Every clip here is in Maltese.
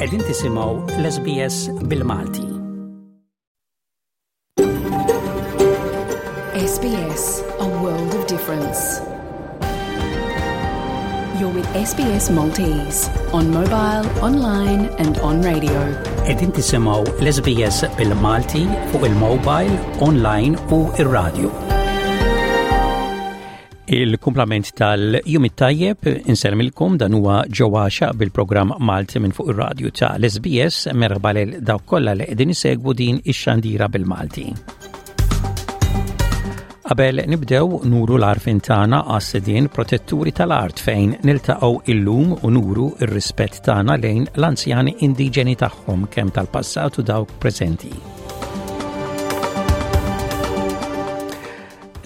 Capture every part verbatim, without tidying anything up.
Qegħdin tisimgħu l-SBS bil-Malti. SBS, a world of difference. You're with SBS Maltese on mobile, online and on radio. Qegħdin tisimgħu l-SBS bil-Malti fuq il-mobile, online u ir-radio. Il-kumplament tal-jum it-tajjeb insellmilkom dan huwa ġewwaxa bil-programm Malti minn fuq ir-radju ta' l-SBS merħba lil dawk kollha li qegħdin isegwu din ix-xandira bil-Malti. Qabel nibdew nuru l-għarfien tagħna għas-sidien protetturi tal-art fejn niltaqgħu illum u nuru ir-rispett tagħna lejn l-anzjani indiġeni tagħhom kemm tal-passat u dawk preżenti.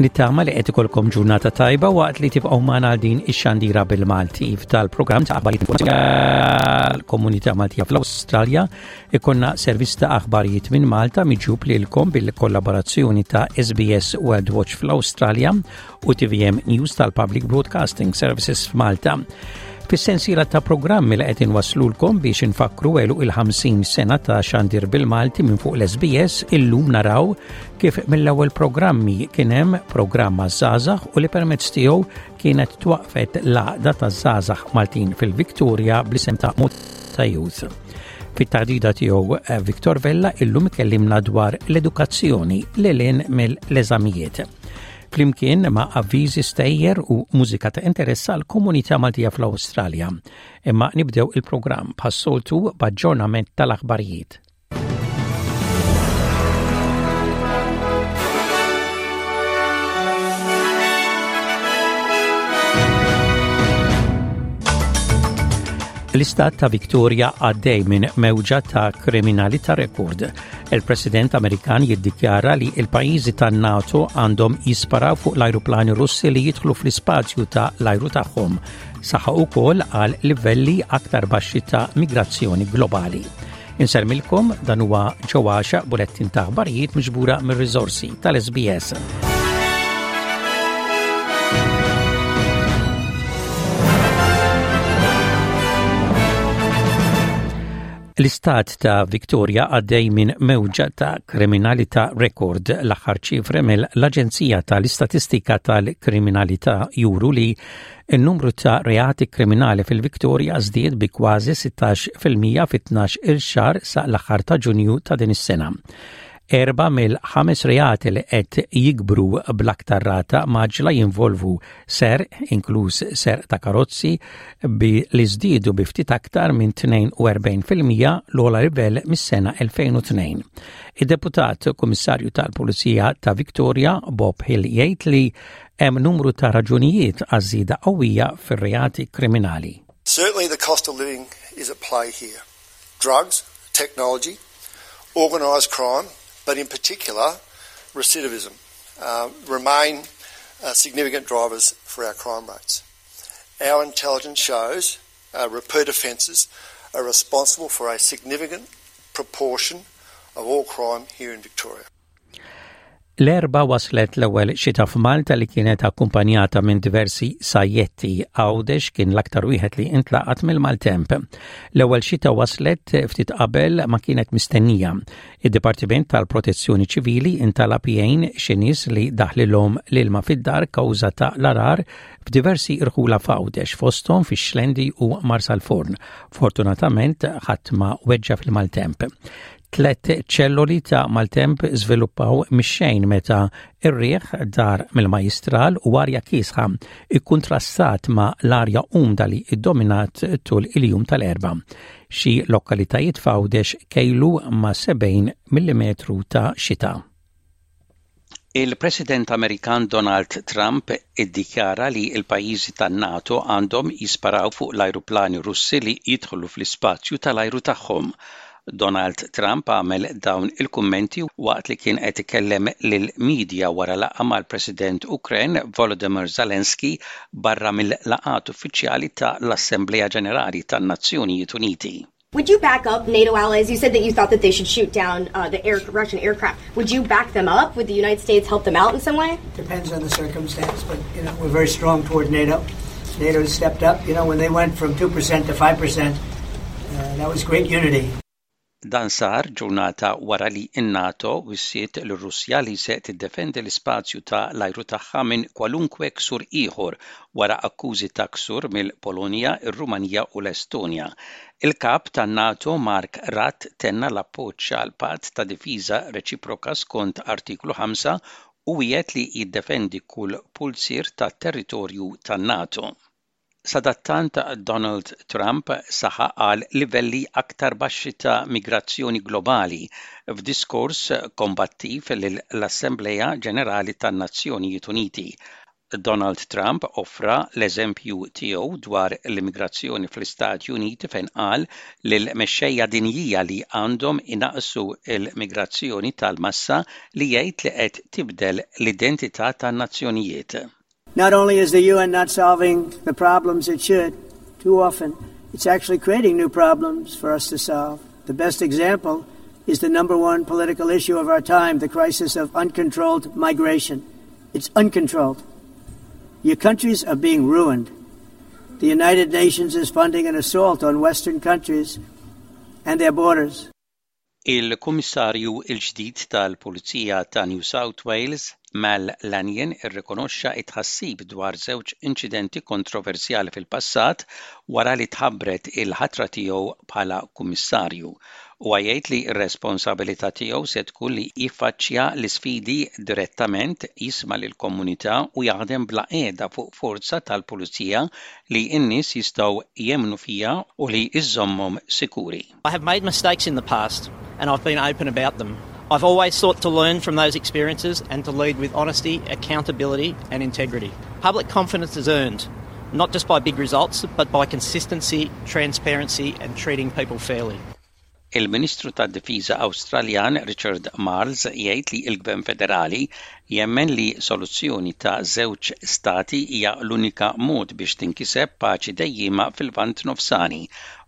Nittama li qed ikolkom ġurnata tajba waqt li tibqgħu magħna għal din ix-xandira bil-Malti. F'dal-programm ta' aħbarijiet l-komunità Maltija fl-Awstralja ikonna servizz ta' aħbarijiet minn Malta miġjub lilkom bil-kollaborazzjoni ta' SBS World Watch fl-Awstralja u TVM News tal-Public Broadcasting Services f'Malta. Fis-sensiela ta' programmi li qed inwasslulkom biex infakkru għeluq il-ħamsin sena ta' xandir bil-Malti minn fuq l-SBS, illum naraw kif mill-ewwel programmi kien hemm programm għaż-żgħażagħ u li permezz tiegħu kienet twaqfet l-għaqda taż-żgħażagħ Maltin fil-Victoria bl-isem ta' Malta Youth. Fit-taħdita tiegħu Victor Vella illum ikellimna dwar l-edukazzjoni lil hinn mill-eżamijiet. Flimkien ma' avviżi stejjer u mużika ta' interess għal komunità Maltija fl-Awstralja. Imma nibdew il-programm bħas-soltu b'aġġornament tal-aħbarijiet. L-istat ta' Victoria għaddej minn mewġa ta' kriminalità rekord. Il-President Amerikan jiddikjara li il-pajjiżi tan-NATO għandhom jisparaw fuq l-ajruplani Russi li jidħlu fl-ispazju ta' l-ajru tagħhom. Saħaq ukoll għal livelli aktar baxxi ta' migrazzjoni globali. Insellmilkom dan huwa ġewwaxa bulettin ta' aħbarijiet miġbura mir-riżorsi tal-SBS. L-istat ta' Victoria għaddej minn mewġa ta' kriminalità rekord. L-aħħar ċifre mill-Aġenzija tal-Istatistika tal-Kriminalità juru li n-numru ta' reati kriminali fil-Victoria żdied bi kważi sittax fil-mija fi tnax il xahar sa l-aħħar ta' Ġunju ta' din is-sena. Erba' mill-ħames reati li qed jikbru bl-aktar rata maġla jinvolvu ser, inkluż ser ta' karozzi, bi li żdiedu bi ftit aktar minn tnejn u erbgħin fil-mija l-ogħla livell mis-sena elfejn u tnejn. Id-deputat Kummissarju tal-Pulizija ta' Victoria, Bob Hill, jgħid li hemm numru ta' raġunijiet għaż-żieda qawwija fir-reati kriminali. Certainly the cost of living is at play here. Drugs, technology, organised crime, but in particular recidivism, uh, remain, uh, significant drivers for our crime rates. Our intelligence shows, uh, repeat offences are responsible for a significant proportion of all crime here in Victoria. L-Erbgħa waslet l-ewwel xita f'Malta li kienet akkumpanjata minn diversi sajjetti. Għawdex kien l-aktar wieħed li intlaqat mill-maltemp. L-ewwel xita waslet ftit qabel ma kienet mistennija. Id-Dipartiment tal-Protezzjoni Ċivili intalab jgħin xi nies li daħlilhom l-ilma fid-dar kawża ta' l-arar f'diversi irħula f'Għawdex, fosthom fix-Xlendi u Marsalforn. Fortunatament ħadd ma weġġa' fil-maltemp. Tlet ċelloli ta' maltemp żviluppaw mix-xejn meta ir-riħ dar mill-majjistral u arja kiesħa ikkuntrastat ma' l-arja umda li iddominat tul il-jum tal-Erbgħa. Xi lokalitajiet f'Għawdex kejlu ma' sebgħin millimetru ta' xita. Il-President Amerikan Donald Trump iddikjara li l-pajjiżi tan-NATO għandhom jisparaw fuq l-ajruplani Russi li jidħlu fl-ispazju tal-ajru tagħhom. Donald Trump għamel dawn il-kummenti waqt li kien qed ikellem lill-medja wara laqgħa mal-President Ukren Volodymyr Zelensky barra mill-laqgħat uffiċjali ta' l-Assemblea Ġenerali tan-Nazzjonijiet Uniti. Would you back up NATO allies? You said that you thought that they should shoot down, uh, the air, Russian aircraft. Would you back them up? Would the United States help them out in some way? Depends on the circumstance, but you know, we're very strong toward NATO. NATO stepped up. You know, when they went from two percent to five percent, uh, Uh, that was great unity. Dan sar ġurnata wara li n-NATO wissiet lir-Russja li se tiddefendi l-ispazju ta' l-ajru tagħha minn kwalunkwe ksur ieħor wara akkużi ta' ksur mill-Polonja, ir-Rumanija u l-Estonja. Il-kap tan-NATO Mark Rutte tenna l-appoġġ għal patt ta' difiża reċiproka skont artiklu ħamsa u wiegħed li jiddefendi kull pulzier tat-territorju tan-NATO. Sadattant Donald Trump saħaq għal livelli aktar baxxi ta' migrazzjoni globali f'diskors kombattiv lill-Assembleja Ġenerali tan-Nazzjonijiet Uniti. Donald Trump offra l-eżempju tiegħu dwar l-immigrazzjoni fl-Istati Uniti fejn qal lill-mexxejja dinjija li għandhom inaqqsu l-migrazzjoni tal-massa li jgħid li qed tibdel l-identità tan-nazzjonijiet. Not only is the U N not solving the problems it should, too often it's actually creating new problems for us to solve. The best example is the number one political issue of our time, the crisis of uncontrolled migration. It's uncontrolled. Your countries are being ruined. The United Nations is funding an assault on Western countries and their borders. Il-Kummissarju il-ġdid tal-Pulizija ta' New South Wales, Mal Lanyon, irrikonoxxa it-tħassib dwar żewġ inċidenti kontroversjali fil-passat wara li tħabbret il-ħatra tiegħu bħala kummissarju. U jgħid li r-responsabilità tiegħu se tkun li jiffaċċja l-isfidi direttament, jisma' lill-komunità u jaħdem bla qiegħda fuq forza tal-pulizija li n-nies jistgħu jemnu fiha u li iżommhom sikuri. I have made mistakes in the past and I've been open about them. I've always sought to learn from those experiences and to lead with honesty, accountability and integrity. Public confidence is earned, not just by big results, but by consistency, transparency and treating people fairly. Il-Ministru tad-Difiża Awstraljan Richard Marles jgħid li l-Gvern Federali jemmen li soluzzjoni ta' żewġ stati hija l-unika mod biex tinkiseb paċi dejjima fil-Lvant Nofsani.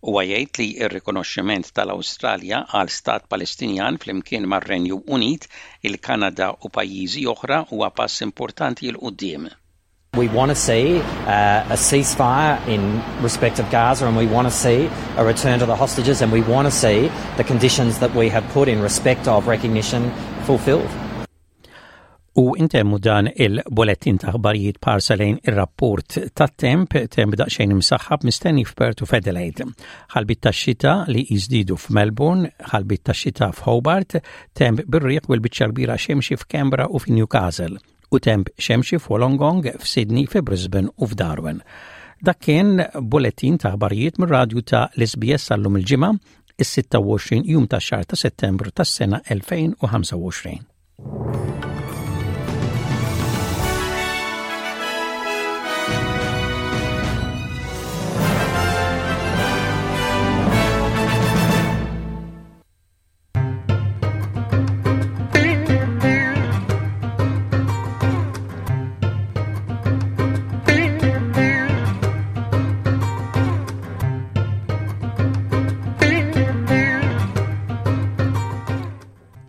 Huwa jgħid li r-rikonoxximent tal-Awstralja għal stat Palestinjan flimkien mar-Renju Unit, il-Kanada u pajjiżi oħra huwa pass importanti 'l quddiem. We want to see uh, a ceasefire in respect of Gaza, and we want to see a return to the hostages, and we want to see the conditions that we have put in respect of recognition fulfilled. U intemmu dan il-bullettin ta' aħbarijiet b'ħarsa lejn ir-rapport tat-temp, temp daqsxejn imsaħħab mistenni f'Perth u f'Adelaide. Ħalbiet ta' xita li jiżdiedu f'Melbourne, ħalbiet ta' xita f'Hobart, temp bir-riħ u l-biċċa kbira xemxi f'Canberra u f'Newcastle u temp xemxi f'Wollongong, f'Sydney, fi Brisbane u f'Darwin. Dak kien bullettin ta' aħbarijiet mir-radju ta' l-S B S għal-lum il-Ġimgħa, is-sitta u għoxrin jum ta' xahar ta' Settembru tas-sena elfejn u ħamsa u għoxrin.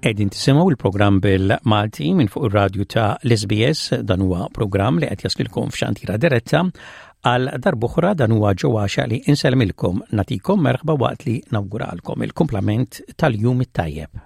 Qegħdin tisimgħu il-programm bil-Malti minn fuq ir-radju ta' l-S B S. Dan huwa programm li qed jaslilkom f'xandira diretta. Għal darb'oħra, dan huwa ġewwaxa li insellmilkom, nagħtikom merħba waqt li nawguralkom il-kumplament tal-jum it-tajjeb.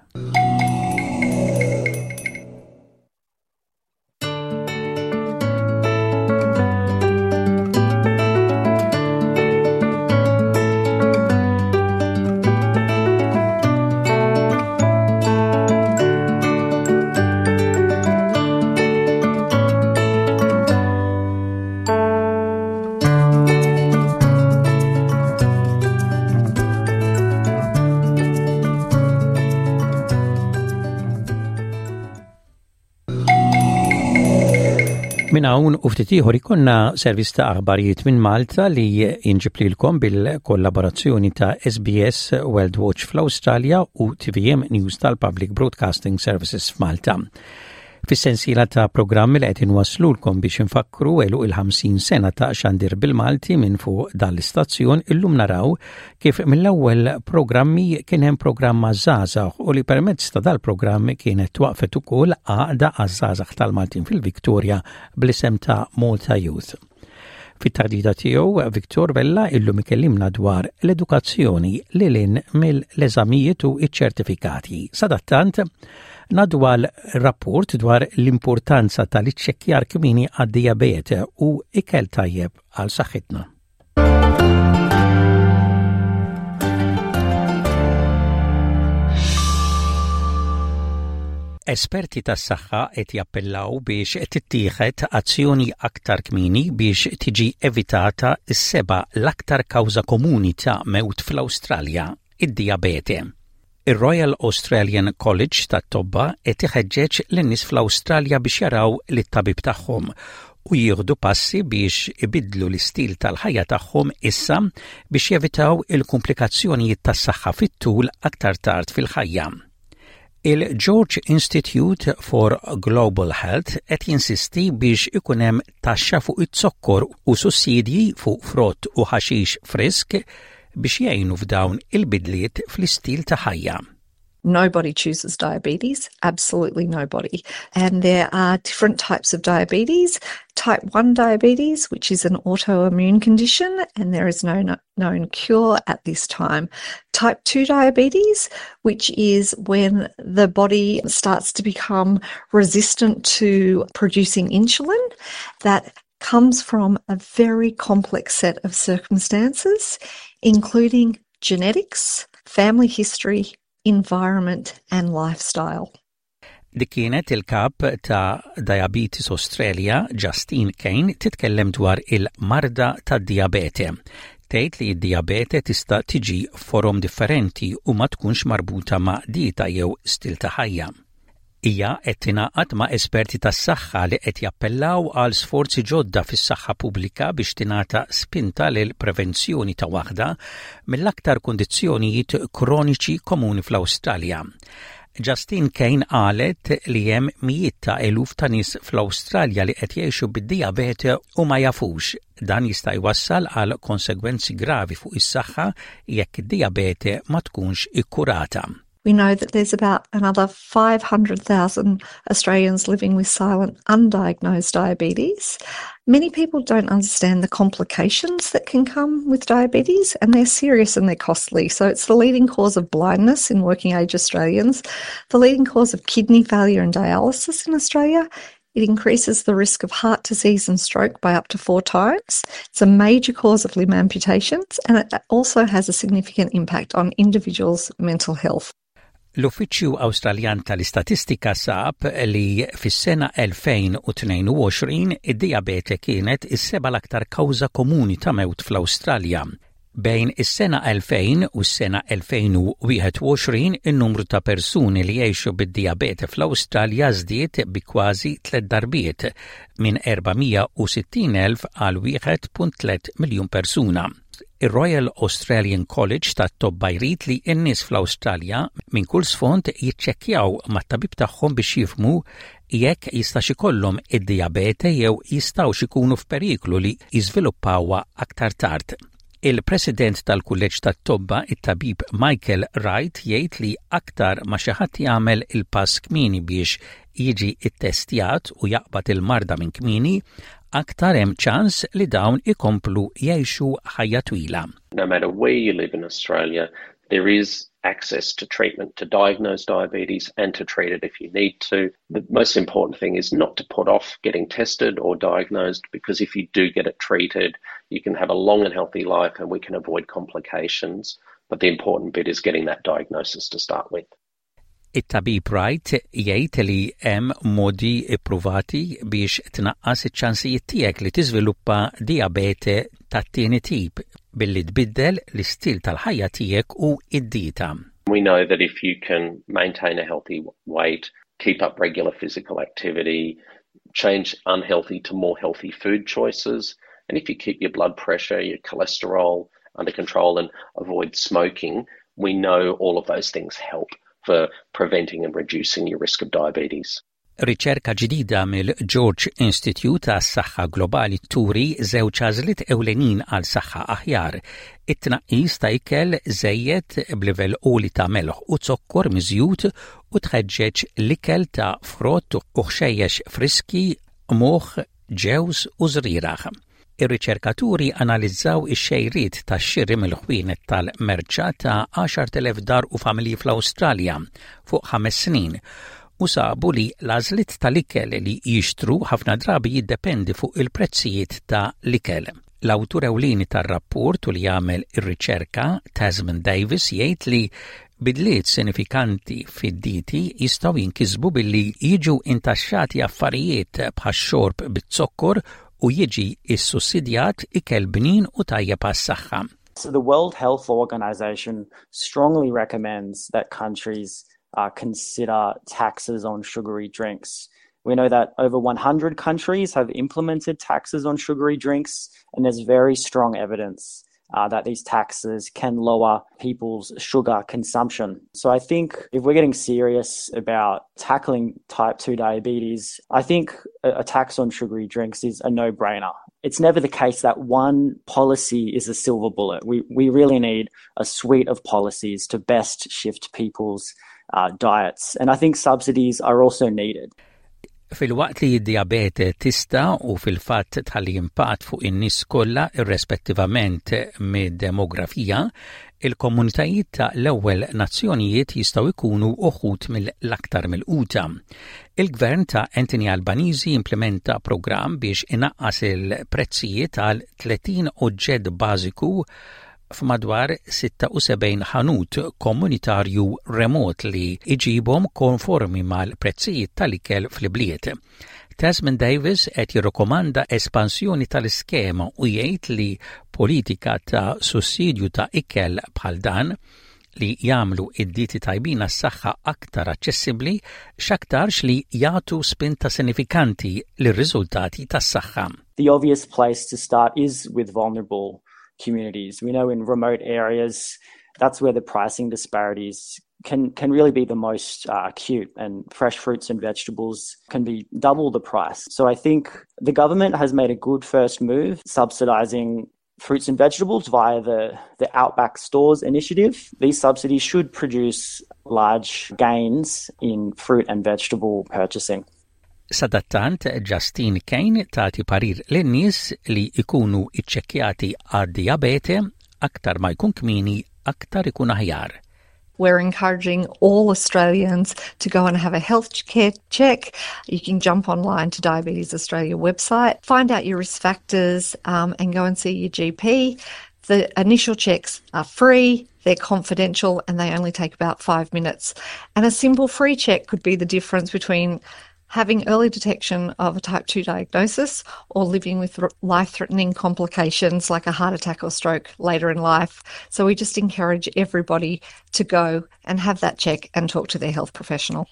Minn hawn u ftit ieħor ikollna servizz ta' aħbarijiet minn Malta li jinġib lilkom bil-kollaborazzjoni ta' S B S World Watch fl-Awstralja u T V M News tal-Public Broadcasting Services f'Malta. Fis-sensiela ta' programmi li qed inwaslulkom biex infakkru għeluq il-ħamsin sena ta' xandir bil-Malti minn fuq dan l-istazzjon, illum naraw kif mill-ewwel programmi kien hemm programma żgħażagħ u li permezz ta' dal-programm kienet twaqfet ukoll għaqda għaż-żgħażagħ tal-Maltin fil-Viktoria bl-isem ta' Malta Youth. Fit-taħdita tiegħu Victor Vella illum ikellimna dwar l-edukazzjoni lil hinn mill-eżamijiet u iċ-ċertifikati. Sadattant, ngħaddu għal rapport dwar l-importanza tal-iċċekkjar kmieni għad-dijabete u ikel tajjeb għal saħħitna. Esperti tas-saħħa qed jappellaw biex tittieħed azzjoni aktar kmieni biex tiġi evitata s-seba' l-aktar kawża komuni ta' mewt fl-Awstralja, id-dijabete. Ir-Royal Australian College tat-Tobba qed iħeġġeġ lin-nies fl-Awstralja biex jaraw lit-tabib tagħhom u jieħdu passi biex ibiddlu l-istil tal-ħajja tagħhom issa biex jevitaw il-komplikazzjonijiet tas-saħħa fit-tul aktar tard fil-ħajja. Il-George Institute for Global Health qed jinsisti biex ikun hemm taxxa fuq iz-zokkor u sussidji fuq frott u ħaxix frisk biex jgħinu f'dawn il-bidliet fl-istil ta' ħajja. Nobody chooses diabetes, absolutely nobody. And there are different types of diabetes. Type one diabetes, which is an autoimmune condition, and there is no known cure at this time. Type two diabetes, which is when the body starts to become resistant to producing insulin, that comes from a very complex set of circumstances, including genetics, family history, environment and lifestyle. Dik kienet il-kap ta' Diabetes Australia, Justine Kane, titkellem dwar il-marda ta' dijabete. Tgħid li d-dijabete tista' tiġi forom differenti u ma tkunx marbuta ma' dieta jew stil ta' ħajja. Hija qed tingħaqad ma' esperti tas-saħħa li qed jappellaw għal sforzi ġodda fis-saħħa pubblika biex tingħata spinta lil prevenzjoni ta' waħda mill-aktar kundizzjonijiet kroniċi komuni fl-Awstralja. Justine Kane qalet li hemm mijiet ta' eluf ta' nies fl-Awstralja li qed jgħixu bid-dijabete u ma jafux. Dan jista' jwassal għal konsegwenzi gravi fuq is-saħħa jekk id-dijabete ma tkunx ikkurata. We know that there's about another five hundred thousand Australians living with silent, undiagnosed diabetes. Many people don't understand the complications that can come with diabetes, and they're serious and they're costly. So it's the leading cause of blindness in working age Australians, the leading cause of kidney failure and dialysis in Australia. It increases the risk of heart disease and stroke by up to four times. It's a major cause of limb amputations, and it also has a significant impact on individuals' mental health. L-Uffiċċju Awstraljan tal-Istatistika sab li fis-sena elfejn u tnejn u għoxrin id-dijabete kienet is-seba' l-aktar kawża komuni ta' mewt fl-Awstralja. Bejn is-sena elfejn u s-sena elfejn u wieħed u għoxrin in-numru ta' persuni li jgħixu bid-dijabete fl-Awstralja żdied bi kważi tliet darbiet minn erba' mija u sittin elf għal wieħed punt tliet miljun persuna. Ir-Royal Australian College tat-Tobba jrid li n-nies fl-Awstralja minn kull sfond jiċċekkjaw mat-tabib tagħhom biex jifhmu jekk jistax ikollhom id-dijabete jew jistgħux ikunu f'periklu li jiżviluppawha aktar tard. Il-President tal-Kulleġġ tat-Tobba, it-tabib Michael Wright, jgħid li aktar ma xi ħadd jagħmel il-pass kmieni biex jiġi ttestjat u jaqbad il-marda minn kmieni, aktar hemm ċans li dawn ikomplu jgħixu ħajja twila. No matter where you live in Australia, there is access to treatment to diagnose diabetes and to treat it if you need to. The most important thing is not to put off getting tested or diagnosed, because if you do get it treated, you can have a long and healthy life and we can avoid complications. But the important bit is getting that diagnosis to start with. It-tabib Wright jgħid li hemm modi ippruvati biex tnaqqas iċ-ċansijiet tiegħek li tiżviluppa dijabete tat-tieni tip billi tbiddel l-istil tal-ħajja tiegħek u id-dieta. We know that if you can maintain a healthy weight, keep up regular physical activity, change unhealthy to more healthy food choices, and if you keep your blood pressure, your cholesterol under control and avoid smoking, we know all of those things help for preventing and reducing your risk of diabetes. Riċerka ġdida mill-George Institute għas-Saħħa Globali turi żewġ għażliet ewlenin għal saħħa aħjar: it-tnaqqis ta' ikel żejjed b'livell għoli ta' melħ u zokkor miżjud u tħeġġeġ l-ikel ta' frott u ħxejjex friski, moħ, ġewż u żrieragħ. Ir-riċerkaturi analizzaw ix-xejriet tax-xiri mill-ħwienet tal-merċa ta' għaxart elef dar u familji fl-Awstralja fuq ħames snin u sabu li l-għażliet tal-ikel li jixtru ħafna drabi jiddependi fuq il-prezzijiet ta' l-ikel. L-awtur ewlieni tar-rapport u li jagħmel ir-riċerka, Tasman Davis, jgħid li bidliet sinifikanti fid-dieti jistgħu jinkisbu billi jiġu intaxxati affarijiet bħax-xorb bit-zokkor u jiġi issussidjat ikel bnin u tajjeb għas-saħħa. So the World Health Organization strongly recommends that countries uh, consider taxes on sugary drinks. We know that over one hundred countries have implemented taxes on sugary drinks, and there's very strong evidence uh, that these taxes can lower people's sugar consumption. So I think if we're getting serious about tackling type two diabetes, I think a, a tax on sugary drinks is a no brainer. It's never the case that one policy is a silver bullet. We, we really need a suite of policies to best shift people's uh, diets. And I think subsidies are also needed. Filwaqt li d-diabete tista' u fil-fatt tħalli impatt fuq in-nies kollha irrespettivament mid-demografija, il-komunitajiet ta' l-ewwel nazzjonijiet jistgħu jkunu uħud mill-aktar milquta. Il-gvern ta' Anthony Albanese implementa programm biex inaqqas il-prezzijiet għal tletin oġġett bażiku f'madwar sitta u sebgħin ħanut komunitarju remot li iġibhom konformi mal-prezzijiet tal-ikel fl-bliet. Tasman Davis qed jirrikomanda espansjoni tal-iskema u jgħid li politika ta' sussidju ta' ikel bħal dan li jagħmlu id-dieti tajbin għas-saħħa aktar aċċessibbli x'aktarx li jagħtu spinta sinifikanti lir-riżultati tas-saħħa. The obvious place to start is with vulnerable communities. We know in remote areas, that's where the pricing disparities can, can really be the most uh, acute, and fresh fruits and vegetables can be double the price. So I think the government has made a good first move subsidizing fruits and vegetables via the, the Outback Stores initiative. These subsidies should produce large gains in fruit and vegetable purchasing. Sadattant, Justine Kane tagħti parir lin-nies li ikunu iċċekkjati għad-diabete. Aktar ma jkun kmieni, aktar ikun aħjar. We're encouraging all Australians to go and have a health care check. You can jump online to Diabetes Australia website, find out your risk factors, um, and go and see your G P. The initial checks are free, they're confidential, and they only take about five minutes. And a simple free check could be the difference between having early detection of a type two diagnosis or living with life threatening complications like a heart attack or stroke later in life. So we just encourage everybody to go and have that check and talk to their health professional.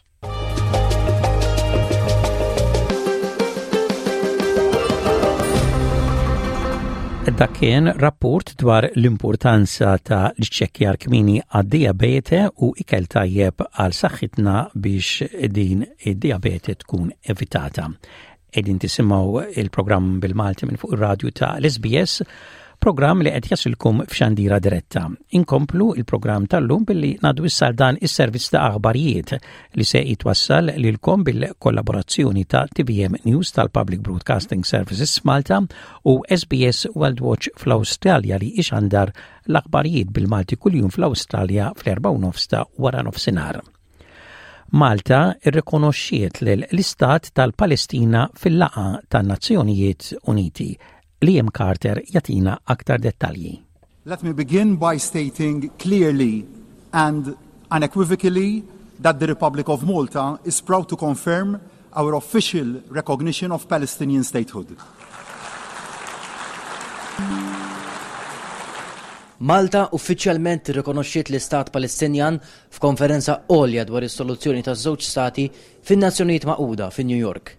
Dak kien rapport dwar l-importanza ta' l-iċċekkjar kmieni għad-diabete u ikel tajjeb għal saħħitna biex din id-diabete tkun evitata. Qegħdin tisimgħu il-programm bil-Malti minn fuq ir-radju ta' l-S B S, programm li qed jasilkom f'xandira diretta. Inkomplu il-programm tal-lum billi ngħaddu issa dan is-servizz ta' aħbarijiet li se jitwassal lilkom bil-kollaborazzjoni ta' T V M News tal-Public Broadcasting Services Malta u S B S World Watch fl-Awstralja li ixandar l-aħbarijiet bil-Malti kuljum fl-Awstralja fl-erba' u nofs ta' wara nofsinhar. Malta irrikonoxxiet l-Istat tal-Palestina fil-laqgħa tan-Nazzjonijiet Uniti. Liam Carter jagħtina aktar dettalji. Let me begin by stating clearly and unequivocally that the Republic of Malta is proud to confirm our official recognition of Palestinian statehood. Malta uffiċjalment irrikonoxxiet l-Istat Palestinjan f'konferenza għolja dwar is-soluzzjoni ta' żewġ stati fin-Nazzjonijiet Magħquda fi New York.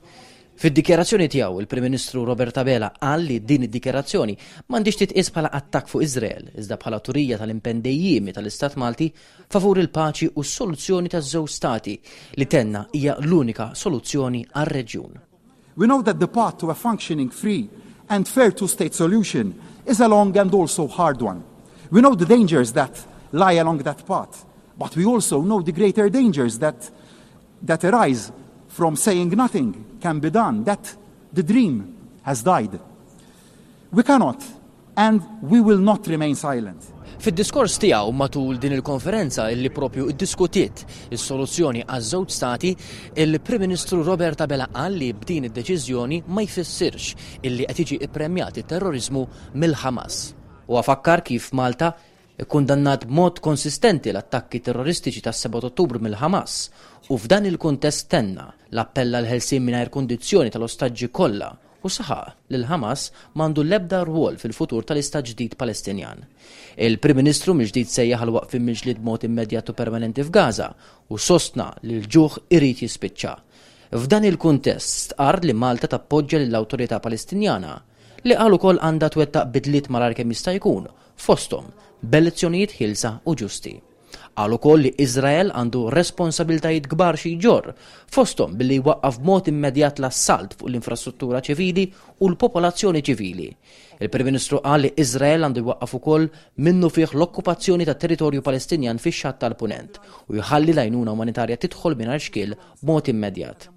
Fid-dikjarazzjoni tiegħu, il-Prim Ministru Robert Abela qal li din id-dikjarazzjoni m'għandix titqies bħala attakk fuq Iżrael, iżda bħala turija tal-impenn dejjiemi tal-Istat Malti favur il-paċi u s-soluzzjoni ta' żewġ stati li tenna hija l-unika soluzzjoni għar-reġjun. We know that the path to a functioning, free and fair two-state solution is a long and also hard one. We know the dangers that lie along that path, but we also know the greater dangers that, that arise from saying nothing can be done, that the dream has died. We cannot and we will not remain silent. Fid-diskors tiegħu matul din il-konferenza illi propju iddiskutiet is-soluzzjoni għaż-żewġ stati, il-Prim Ministru Robert Abela qal li b'din id-deċiżjoni ma jfissirx illi qed jiġi ippremjat it-terrorizmu mill-Ħamas. Huwa fakkar kif Malta ikkundannat b'mod konsistenti l-attakki terroristiċi tas-seba' Ottubru mill-Ħamas u f'dan il-kuntest tenna l-appell għall-ħelsien mingħajr kundizzjoni tal-ostaġġi kollha u saħaq li l-Ħamas m'għandu l-ebda rwol fil-futur tal-istat ġdid Palestinjan. Il-Prim Ministru mill-ġdid sejjaħ għal waqfien mill-ġlied b'mod immedjat u permanenti f'Gaza u sostna li l-ġuħ irid jispiċċa. F'dan il-kuntest stqarr li Malta tappoġġja lill-Awtorità Palestinjana li qal ukoll għandha twettaq bidliet malajr kemm jista' jkun fosthom b'elezzjonijiet ħielsa u ġusti. Qal ukoll li Iżrael għandu responsabiltajiet kbar xi jġorr, fosthom billi jwaqqaf b'mod immedjat l-assalt fuq l-infrastruttura ċivili u l-popolazzjoni ċivili. Il-Prim Ministru qal li Iżrael għandu jwaqqaf ukoll minnufih l-okkupazzjoni tat-territorju Palestinjan fix-Xatt tal-Punent u jħalli l-għajnuna umanitarja tidħol mingħajr xkiel b'mod immedjat.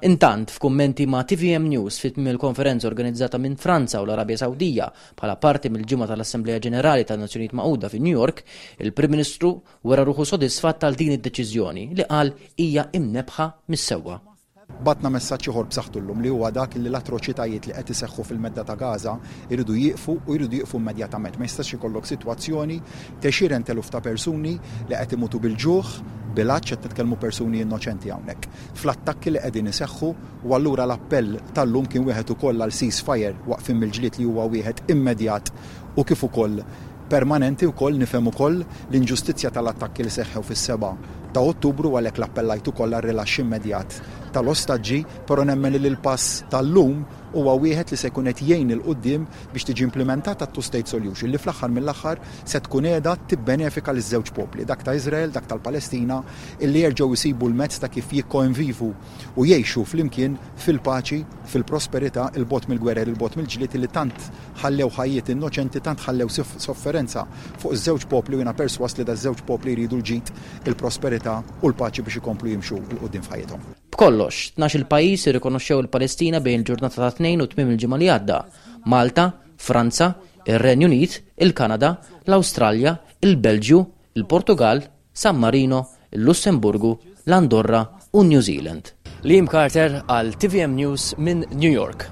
Intant, f'kummenti ma' T V M News fi tmiem il-konferenza organizzata minn Franza u l-Arabja Sawdija bħala parti mill-ġimgħa tal-Assemblea Ġenerali tan-Nazzjonijiet Magħquda fi New York, il-Prim Ministru wera ruħu sodisfatt għal din id-deċiżjoni li qal hija imnebħa mis-sewwa. Bgħatna messaġġ ieħor b'saħħtu llum li huwa dak li l-atroċitajiet li qed iseħħu fil-medda ta' Gaza jridu jieqfu u jridu jieqfu immedjatament. Ma jistax ikollok sitwazzjoni t'għexieren t'eluf ta' persuni li qed imutu bil-ġuħ, bil-għatx, qed nitkellmu persuni innoċenti hawnhekk. Fl-attakki li qegħdin iseħħu, u allura l-appell tal-lum kien wieħed ukoll għal ceasefire, waqfien mill-ġlied li huwa wieħed immedjat u kif ukoll permanenti. Wkoll nifhem ukoll l-inġustizzja tal-attakki li seħħew fis-seba' ta' Ottubru, għalhekk l-appellajt ukoll għar-rilaxx immedjat tal-ostaġġi, però nemmen li l-pass tal-lum huwa wieħed li se jkun qed jgħin 'il quddiem biex tiġi implementata two-state solution li fl-aħħar mill-aħħar se tkun qiegħda tibbenefika liż-żewġ popli, dak ta' Iżrael, dak tal-Palestina, illi jerġgħu jsibu l-mezz ta' kif jikkonvivu u jgħixu flimkien fil-paċi, fil-prosperità, 'il bogħod mill-gwerer, 'il bogħod mill-ġlied li tant ħallew ħajjiet innoċenti, tant ħallew sofferenza fuq iż-żewġ popli, u jiena perswas li daż-żewġ popli jridu l-ġid, il-prosperità u l-paċi biex ikomplu jimxu 'l quddiem f'ħajjithom. B'kollox, tnax-il pajjiż irrikonoxxew il-Palestina bejn il-ġurnata ta' Tnejn u tmiem il-ġimgħa li għadda. Malta, Franza, ir-Renju Unit, il-Kanada, l-Awstralja, il-Belġju, il-Portugal, San Marino, il-Lussemburgu, l-Andorra u New Zealand. Liam Carter għal T V M News minn New York.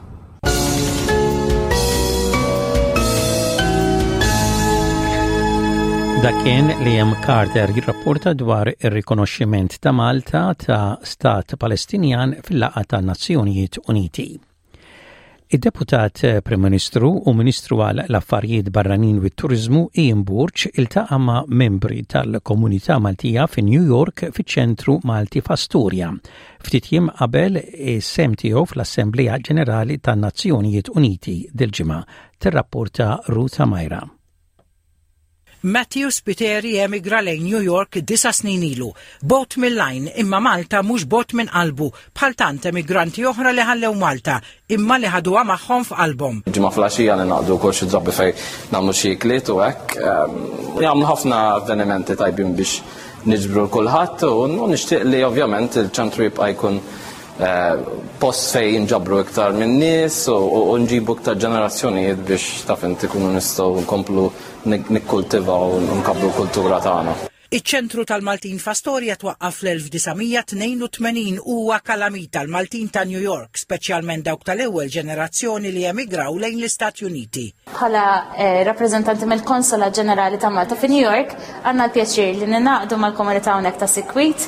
Dak kien Liam Carter jirrapporta dwar ir-rikonoxximent ta' Malta ta' Stat Palestinjan fil-laqgħa ta' Nazzjonijiet Uniti. Id-deputat Prim Ministru u Ministru għal l-Affarijiet Barranin u Turizmu Ian Borg iltaqa' ma' membri tal-Komunità Maltija fi New York fiċ-Ċentru Malti f'Astoria. Ftit jiem qabel is-sehem tiegħu fl-Assemblea Ġenerali tan-Nazzjonijiet Uniti dil-ġimgħa, tirrapporta Ruth Majra. Matthew Spiteri emigra lejn New York disa snin ilu. Bogħod mill-għajn imma Malta mhux bogħod minn qalbu, bħal tant emigranti oħra li ħallew Malta imma li ħaduha magħhom f'qalbhom. Ġimgħa filgħaxija li naqdu wkoll xi drabi fejn nagħmlu xi ikliet u hekk. Jagħmlu ħafna avvenimenti tajbin biex niġbru kulħadd u nixtieq li ovvjament il-ċentru jibqa' jkun eh, post fej jinġabru iktar minn nies u nġibu iktar ġenerazzjonijiet biex taf inti kunu nistgħu nkomplu nikkultivaw u nkabbru l-kultura tagħna. Iċ-ċentru tal-Maltin f'Astoria twaqqaf fl-elf disa' mija tnejn u tmenin huwa kalamita l-Maltin ta' New York, speċjalment dawk tal-ewwel ġenerazzjoni li emigraw lejn l-Istati Uniti. Bħala eh, rappreżentanti mill-Konsola Ġenerali ta' Malta fi New York, għandna l-pjaċir li ningħaqdu mal-komunità hawnhekk ta' sikwit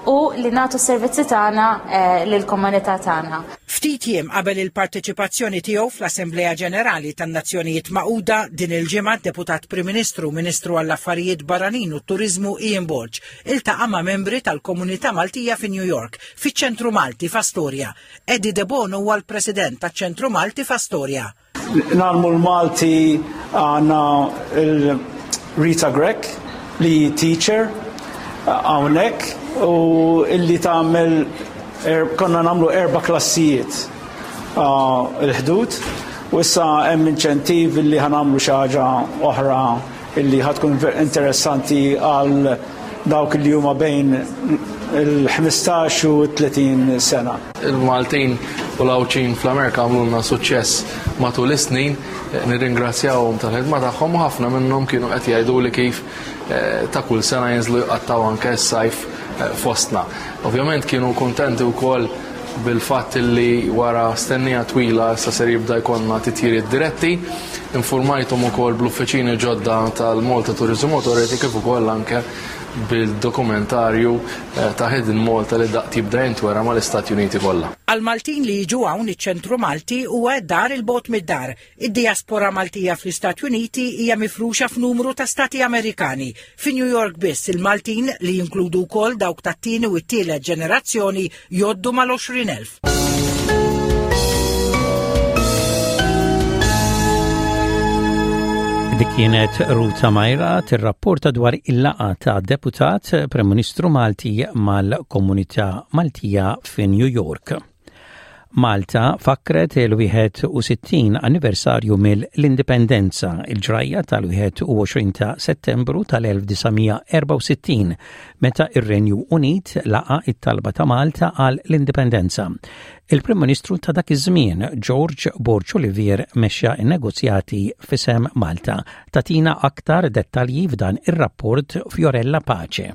u li nagħtu s-servizzi tagħna eh, lill-komunità tagħna. Ftit jiem qabel il-parteċipazzjoni tiegħu fl-Assemblea Ġenerali tan-Nazzjonijiet Magħquda din il-ġimgħa, deputat Prim Ministru, Ministru għall-Affarijiet Barranin u Turiżmu Ian Borg iltaqa' ma' membri tal-Komunità Maltija fi New York fiċ-Ċentru Malti f'Astoria. Eddie De Bono huwa l-President taċ-Ċentru Malti f'Astoria. Ngħallmu l-Malti, għandna il-Rita Grech li teacher hawnhekk u illi tagħmel er, konna nagħmlu erba' klassijiet il-Ħdud u issa hemm inċentiv illi ħa nagħmlu xi ħaġa oħra illi ħa tkun interessanti għal dawk li huma bejn il-ħmistax u tletin sena. Il-Maltin u l-Għawdxin fl-Amerika għamlulna suċċess matul is-snin, nirringrazzjawhom tal-ħidma tagħhom u ħafna minnhom kienu qed jgħidu li kif eh, ta' kull sena jinżlu jqattaw anke s-sajf eh, fostna. Ovvjament kienu kuntenti wkoll bil-fatt li wara stennija twila issa ser jibda jkollna titjiriet diretti. Informajthom ukoll bl-uffiċini ġodda tal-Malta Tourism Authority kif ukoll anke bil-dokumentarju eh, ta' Hidden Malta li daqt jibda jintwera mal-Istati Uniti kollha. Għal-Maltin li jiġu hawn, iċ-ċentru Malti huwa dar il-bogħod mid-dar. Id-diaspora Maltija fl-Istati Uniti hija mifruxa f'numru ta' stati Amerikani. Fi New York biss il-Maltin, li jinkludu wkoll dawk tat-tieni u t-tielet ġenerazzjoni, jgħoddu mal-għoxrin elf. Dik kienet Ruta Majra tirrapporta dwar il-laqgħa ta' deputat Prim Ministru Malti mal-komunità Maltija fi New York. Malta fakret il-wieħed u sittin anniversarju mill-Indipendenza, il-ġrajja tal-wieħed u għoxrin ta' Settembru tal-elf disa' mija erbgħa u sittin, meta ir-Renju Unit laqa it-talba ta' Malta għal l-Indipendenza. Il-Prim Ministru ta' dak iż-żmien, George Borg Olivier, mexxa n-negozjati f'isem Malta. Tagħtina aktar dettalji f'dan ir-rapport Fiorella Pace.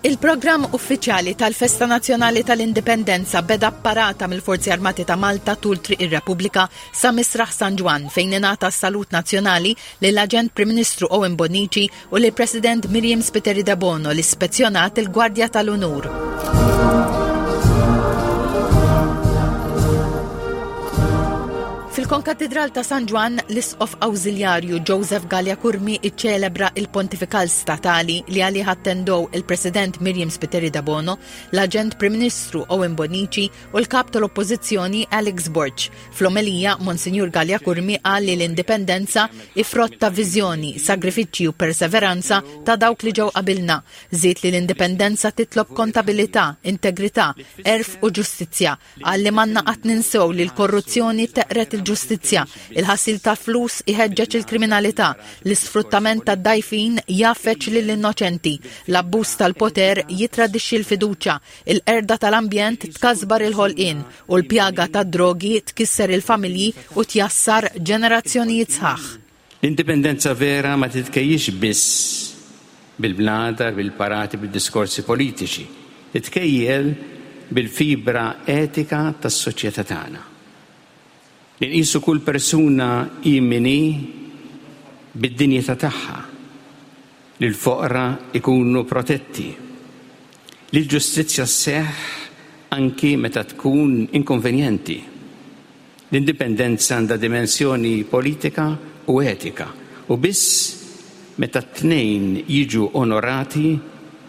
Il-programm uffiċjali tal-Festa Nazzjonali tal-Indipendenza beda parata mill-Forzi Armati ta' Malta tul Triq ir-Repubblika sa Misraħ San Ġwann, fejn ingħata salut nazzjonali lill-Aġent Prim Ministru Owen Bonnici u lill-President Myriam Spiteri Debono, li spezzjonat il-Gwardja tal-Unur. Fil-Konkatedral ta' San Ġwann, l-Isqof Awżiljarju Joseph Galea Curmi iċċelebra il-Pontifikal Statali li għalih attendow il-President Myriam Spiteri Debono, l-Aġent Prim Ministru Owen Bonnici u l-Kap tal-Oppożizzjoni Alex Borg. Fl-omelija, Monsinjur Galea Curmi qal li l-indipendenza hi frott ta' viżjoni, sagrifiċċji u perseveranza ta' dawk li ġew qabilna. Żied li l-indipendenza titlob kontabilità, integrità, għerf u ġustizzja. Qal li m'għandna qatt ninsew li l-korruzzjoni teqred il-ġustizzja, il-ħasil ta' flus iħeġġeġ il-kriminalità, l-isfruttament ta' dgħajfin jgħaffeġ lill-innoċenti, l-abbuż tal-poter jitradixxi l-fiduċja, il-qerda tal-ambjent tkasbar il-ħolqien u l-pjaga tad-drogi tkisser il-familji u tjassar ġenerazzjonijiet sħaħ. L-indipendenza vera ma titkejjix biss bil-bnadar, bil-parati, bil-diskorsi politiċi. Titkejjel bil-fibra etika tas-soċjetà tagħna. Li nqisu kull persuna hi min hi bid-dinjità tagħha, li l-foqra ikunu protetti, li l-ġustizzja sseħħ anki meta tkun inkonvenjenti. L-indipendenza għandha dimensjoni politika u etika u biss meta t-tnejn jiġu onorati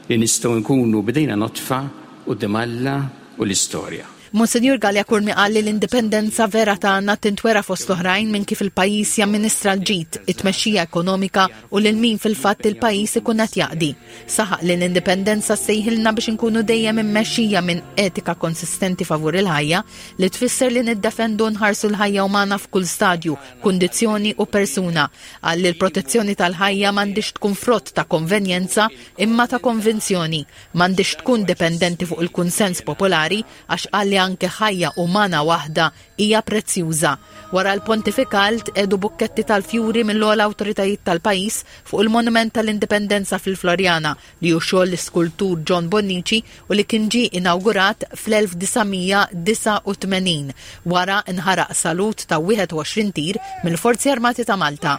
li nistgħu nkunu b'idejna nodfa quddiem Alla u l-istorja. Monsinjur Galea Curmi qal li l-indipendenza vera tagħna tintwera fost oħrajn minn kif il-pajjiż jamministra l-ġid, it-tmexxija ekonomika u lil min fil-fatt il-pajjiż ikun qed jaqdi. Saħaq li l-indipendenza sejħilna biex inkunu dejjem immexxija minn etika konsistenti favur il-ħajja, li tfisser li niddefendu, nħarsu l-ħajja umana f'kull stadju, kundizzjoni u persuna. Qal li l-protezzjoni tal-ħajja m'għandix tkun frott ta' konvenjenza imma ta' konvinzjoni, m'għandix tkun dipendenti fuq il-kunsens popolari, għax qal li anke ħajja umana waħda hija prezzjuża. Wara l-pontifikal tqiegħdu bukketti tal-fjuri mill-ogħla awtoritajiet tal-pajjiż fuq il-Monument tal-Indipendenza fil-Floriana, li hu xogħol l-iskultur John Bonnici u li kien ġie inawgurat fl-elf disa' mija disgħa u tmenin. Wara nħaraq salut ta' wieħed u għoxrin tir mill-Forzi Armati ta' Malta.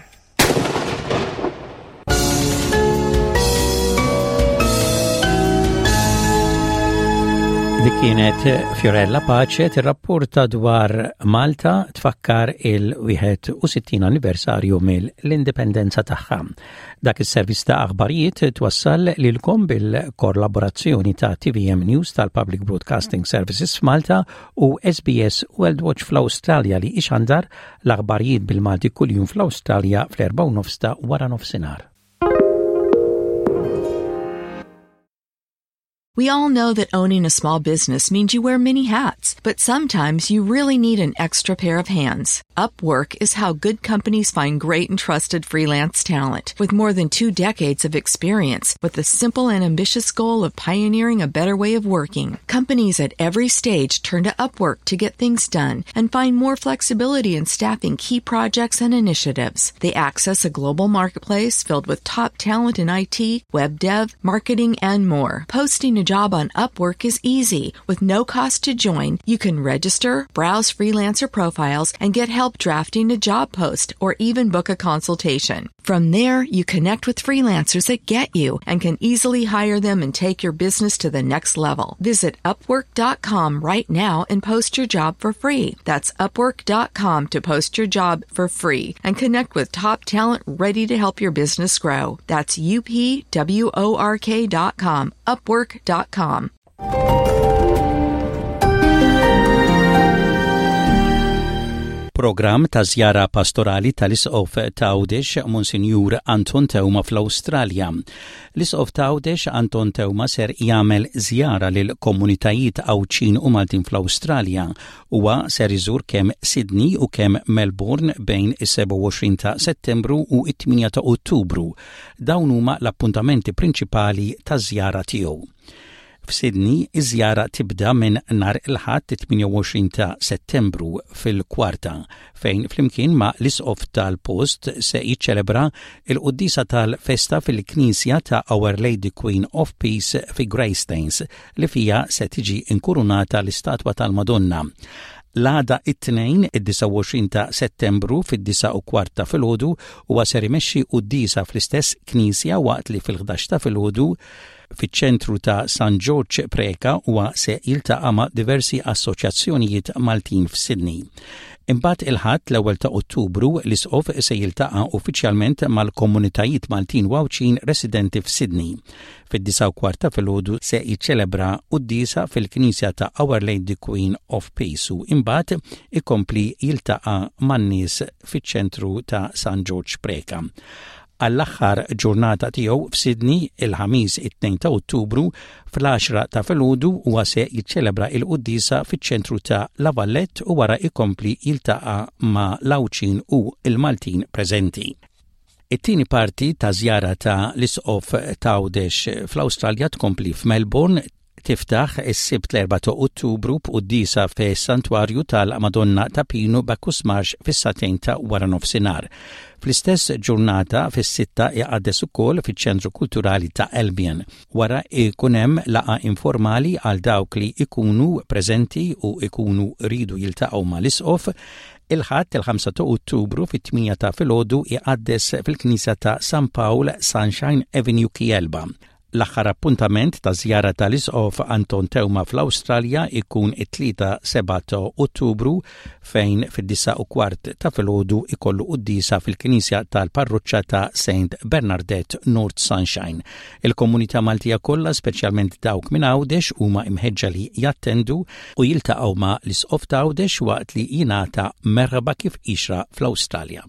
Dik kienet Fiorella Pace tirrapporta dwar Malta tfakkar il-wieħed u sittin anniversarju mill-indipendenza tagħha. Dak is-servizz ta' aħbarijiet twassal lilkom bil-kollaborazzjoni ta' T V M News tal-Public Broadcasting Services f'Malta u S B S World Watch fl-Awstralja, li ixandar l-aħbarijiet bil-Malti kuljum fl-Awstralja fl-erbgħa u nofs ta' wara nofsinhar. We all know that owning a small business means you wear many hats, but sometimes you really need an extra pair of hands. Upwork is how good companies find great and trusted freelance talent with more than two decades of experience with the simple and ambitious goal of pioneering a better way of working. Companies at every stage turn to Upwork to get things done and find more flexibility in staffing key projects and initiatives. They access a global marketplace filled with top talent in I T, web dev, marketing, and more. Posting a job on Upwork is easy. With no cost to join, you can register, browse freelancer profiles, and get help drafting a job post or even book a consultation. From there, you connect with freelancers that get you and can easily hire them and take your business to the next level. Visit Upwork dot com right now and post your job for free. That's Upwork dot com to post your job for free and connect with top talent ready to help your business grow. That's U P W O R K dot com. Upwork dot com. Programm ta' żjara pastorali tal-Isqof t'Għawdex Monsinjur Anton Teuma fl-Awstralja. L-Isqof t'Għawdex Anton Teuma ser jagħmel żjara lil komunitajiet Għawdxin u Maltin fl-Awstralja. Huwa ser iżur kemm Sydney u kemm Melbourne bejn is-sebgħa u għoxrin ta' Settembru u it-tmienja ta' Ottubru. Dawn huma l-appuntamenti prinċipali ta' żjara tiegħu. F'Sydney, iż-żjara tibda minn nhar il-Ħadd tmienja u għoxrin ta' Settembru fil-kwarta, fejn flimkien ma' l-isqof tal-post se jiċċelebra il-quddisa tal-festa fil-Knisja ta' Our Lady Queen of Peace fi Greystanes, li fija se tiġi inkurunata l-istatwa tal-Madonna. L-għada, it-Tnejn, id-disgħa u għoxrin ta' Settembru, fid-disgħa u kwart ta' filgħodu, huwa ser imexxi quddisa fl-istess knisja, waqt li fil-ħdax ta' filgħodu fiċ-ċentru ta' San George Preka huwa se jiltaqa' ma' diversi assoċjazzjonijiet Maltin f'Sydney. Imbagħad il-Ħadd l-ewwel ta' Ottubru l-Isqof se jiltaqa' uffiċjalment mal-komunitajiet Maltin u Għawdxin residenti f'Sydney. Fid-disgħa u kwart ta' filgħodu se jiċċelebra quddiesa fil-Knisja ta' Our Lady Queen of Peace u imbagħad ikompli jiltaqa' man-nies fiċ-ċentru ta' San George Preka. Għall-aħħar ġurnata tiegħu f'Sydney, il-Ħamis it-tnejn ta' Ottubru, fl-għaxra ta' filgħodu huwa se jiċċelebra il-quddisa fiċ-ċentru ta' La Vallette u wara ikompli jiltaqa' ma' l-Għawdxin u il-Maltin preżenti. It-tieni parti ta' żjara ta' l-Isqof t'Għawdex fl-Awstralja tkompli f'Melbourne. Tiftaħ is-Sibt l-erbgħa ta' Ottubru b'quddisa fis-Santwarju tal-Madonna ta' Pinu, Bacchus Marsh, fis-sagħtejn ta' wara nofsinhar. Fl-istess ġurnata fis-sitta iqaddes ukoll fiċ-Ċentru Kulturali ta' Albion. Wara ikun hemm laqgħa informali għal dawk li ikunu preżenti u ikunu ridu jiltaqgħu mal-Isqof. Il-Ħadd il-ħamsa ta' Ottubru fit-tmienja ta' filgħodu iqaddes fil-Knisja ta' San Paul, Sunshine Avenue, Kewlba. L-aħħar appuntament ta' żjara tal-Isqof Anton Teuma fl-Awstralja ikun it-Tlieta sebgħa ta' Ottubru, fejn fid-disgħa u kwart ta' filgħodu ikollu quddisa fil-Knisja tal-Parroċċa ta' Saint Bernadette, North Sunshine. Il-komunità Maltija kollha, speċjalment dawk minn Għawdex, huma imħeġġa li jattendu u jiltaqgħu ma' l-Isqof ta' Għawdex waqt li jingħata merħba kif jixraq fl-Awstralja.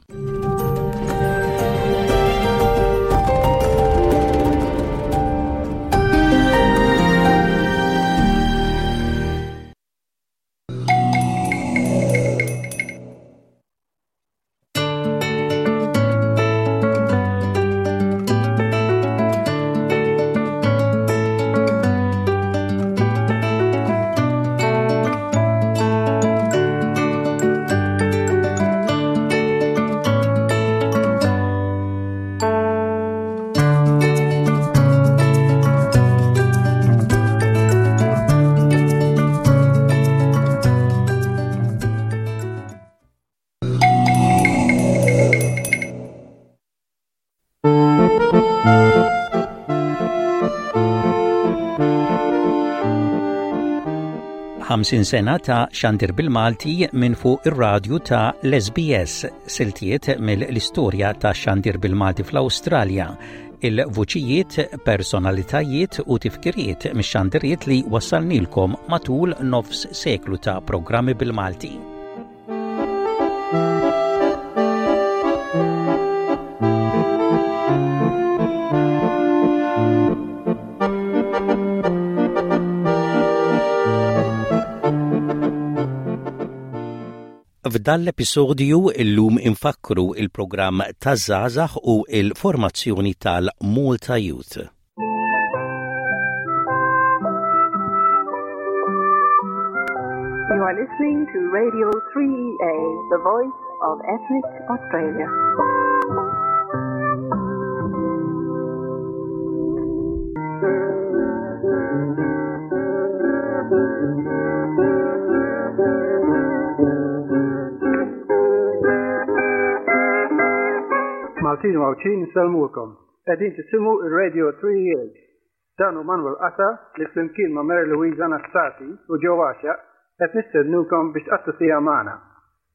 Ħamsin sena ta' xandir bil-Malti minn fuq ir-radju ta' l-S B S, siltiet mill-istorja ta' xandir bil-Malti fl-Awstralja, il-vuċijiet, personalitajiet u tifkiriet mix-xandiriet li wassalnilkom matul nofs seklu ta' programmi bil-Malti. F'dan l-episodju illum infakkru il-programm taż-żgħażagħ u il-formazzjoni tal-Malta Youth. You are listening to Radio three E A, the voice of ethnic Australia. Maltin u Għawdxin, insellmulkom. Qegħdin tisimgħu ir-Radio three E A. Dan hu Manuel Qata li flimkien ma' Mary Louise Anastasi u Joe Għaxaq qed nistednukom biex tqattgħu siegħa magħna.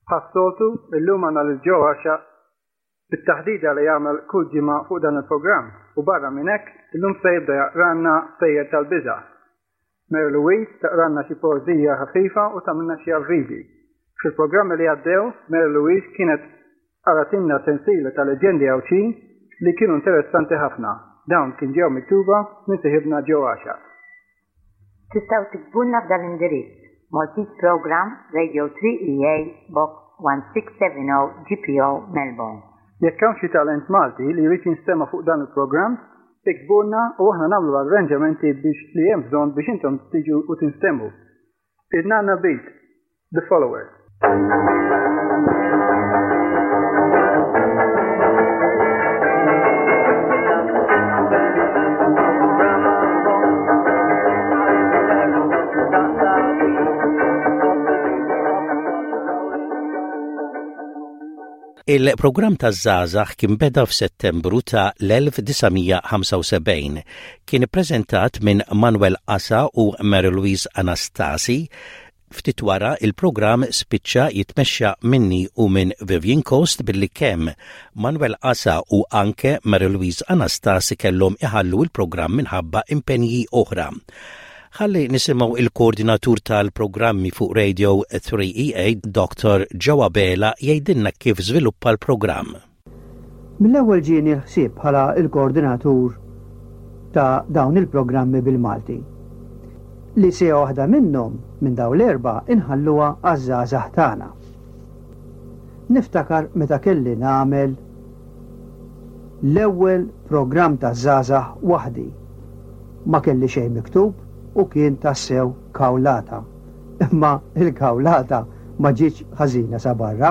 Bħas-soltu, illum għandna lil Joe Għaxaq bit-taħdida li jagħmel kull ġimgħa fuq dan il-programm u barra minn hekk illum se jibda jaqranna stejjer tal-biża'. Mary Louise taqranna xi poeżija ħafifa u tagħmilna xi avviżi. Fil-programmi li għaddew, Mary Louise kienet qratilna sensiela ta' leġendi Għawdxin li kienu interessanti ħafna. Dawn kien ġew miktuba minn sieħibna Joe Għaxaq. Tistgħu tiktbulna f'dan l-indirizz: Maltese Program, Radio three E A, Box one six seven zero G P O, Melbourne. Jekk hawn xi talent Malti li jrid jinstema' fuq dan il-programm, iktbulna u aħna nagħmlu arranġamenti biex li hemm bżonn biex intom tiġu u tinstemgħu. In-Nanna Beat, The Followers. Il-programm taż-żgħażagħ kien beda f'Settembru ta' l-elf disa' mija ħamsa u sebgħin. Kien ippreżentat minn Manuel Asa u Mary Louise Anastasi. Ftit wara, il-programm spiċċa jitmexxa minni u minn Vivian Coast billi kemm Manuel Asa u anke Mary Louise Anastasi kellhom iħallu il-programm minħabba impenji oħra. Ħalli nisimgħu il-koordinatur tal-programmi fuq Radio three E A, Doctor Joe Abela, jgħidilna kif żviluppa l-programm. Mill-ewwel ġieni l-ħsieb bħala il-koordinatur ta' dawn il-programmi bil-Malti li siegħa waħda minnhom minn dawn l-erba' inħalluha għaż-żgħażagħ tagħna. Niftakar meta kelli nagħmel l-ewwel programm ta' żgħażagħ waħdi. Ma kelli xejn miktub u kien tassew kawlata. Imma il-kawlata ma ġietx ħażina sa barra.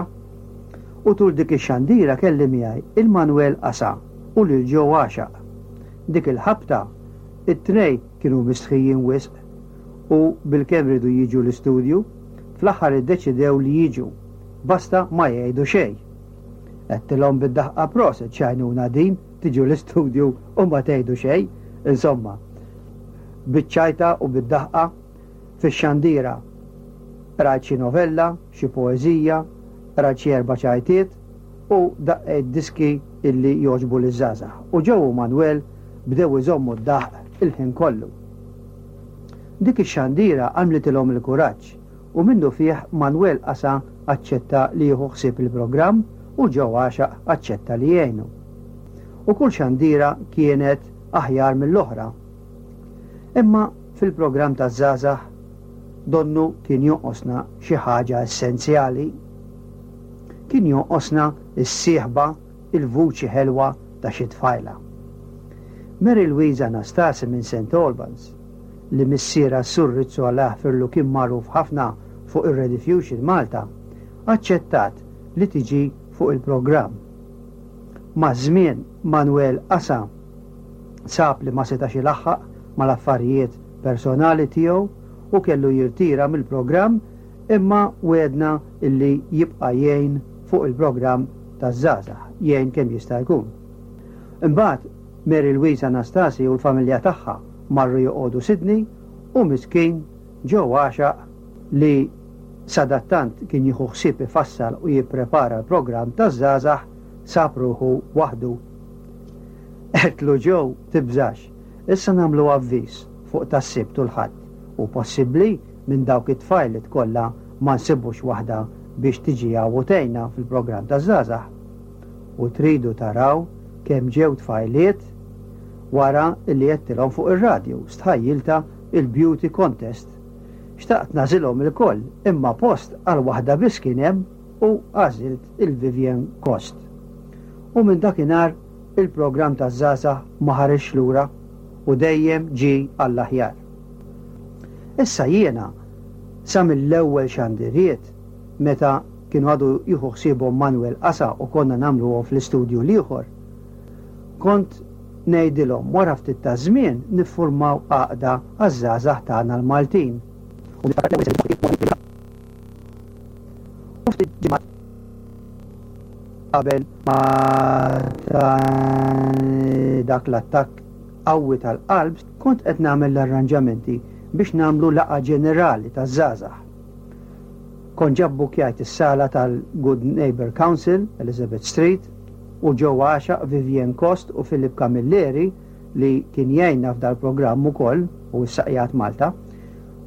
U tul dik ix-xandira kelli miegħi il-Manuel Asa u lil Joe Għaxaq. Dik il-ħabta it-tnej kienu mistħijin wisq u bilkemm riedu jiġu l-istudju, fl-aħħar iddeċidew li jiġu, basta ma jgħidu xejn. Għedtilhom bid-daħqa, "Prosit, x'għajnuna din, tiġu l-istudju u ma tgħidu xejn." Insomma, biċ-ċajta u bid-daħqa fix-xandira qrajt xi novella, xi poeżija, qrajt xi erba' ċajtiet u daqqejt diski illi jogħġbu liż-żgħażagħ. U Joe u Manuel bdew iżommu d-daħq il-ħin kollu. Dik ix-xandira għamlitilhom il-kuraġġ u minnu fih Manuel Asa aċċetta li jieħu ħsieb il-programm u Joe Għaxaq aċċetta li jgħinu. U kull xandira kienet aħjar mill-oħra. Imma fil-programm ta' żgħażagħ donnu kien jonqosna xi ħaġa essenzjali. Kien jonqosna s-sieħba, il-vuċi ħelwa ta' xi tfajla. Mary Louise Anastasi minn Saint Albans, li missiera Sur Rizzo Alla jaħfirlu kien magħruf ħafna fuq ir-Rediffusion Malta, aċċettat li tiġi fuq il-programm. Maż-żmien Manuel Asa sab li ma setax ilaħħaq mal-affarijiet personali tiegħu u kellu jirtira mill-programm, imma wegħedna illi jibqa' jgħin fuq il-programm taż-żgħażagħ, jgħin kemm jista' jkun. Imbagħad Mary Louise Anastasi u l-familja tagħha marru joqogħdu Sydney u miskin Joe Għaxaq, li sadattant kien jieħu ħsieb ifassal u jipprepara l-programm taż-żgħażagħ, sab ruħu waħdu. Għedtlu, "Joe, tibżax, issa nagħmlu avviż fuq tas-Sibt u l-Ħadd u possibbli minn dawk it-tfajliet kollha ma nsibux waħda biex tiġi u tgħinna fil-programm taż-żgħażagħ." U tridu taraw kemm ġew tfajliet wara li għedtilhom fuq ir-radju, stħajjiltha il-beauty contest. Xtaqt nagħżilhom ilkoll, imma post għal waħda biss kien hemm u għażilt il-Vivian Cost. U minn dakinhar il-programm taż-żgħażagħ ma ħareġ lura u dejjem ġie għall-aħjar. Issa jiena sa mill-ewwel xandiriet meta kienu għadu jieħu ħsiebhom Manuel Qasa u konna nagħmluhom fl-istudju l-ieħor, kont ngħidilhom wara ftit ta' żmien niffurmaw għaqda għaż-żgħażagħ tagħna l-Maltin. U ftit ġimgħat qabel ma dak l-attakk qawwi tal-qalb kont qed nagħmel l-arranġamenti biex nagħmlu laqgħa ġenerali taż-żgħażagħ. Kont ġa bbukjajt is-sala tal-Good Neighbor Council, Elizabeth Street, u Joe Għaxaq, Vivian Cost u Philip Camilleri li kien jgħinna f'dal-programm ukoll u issa qiegħed Malta,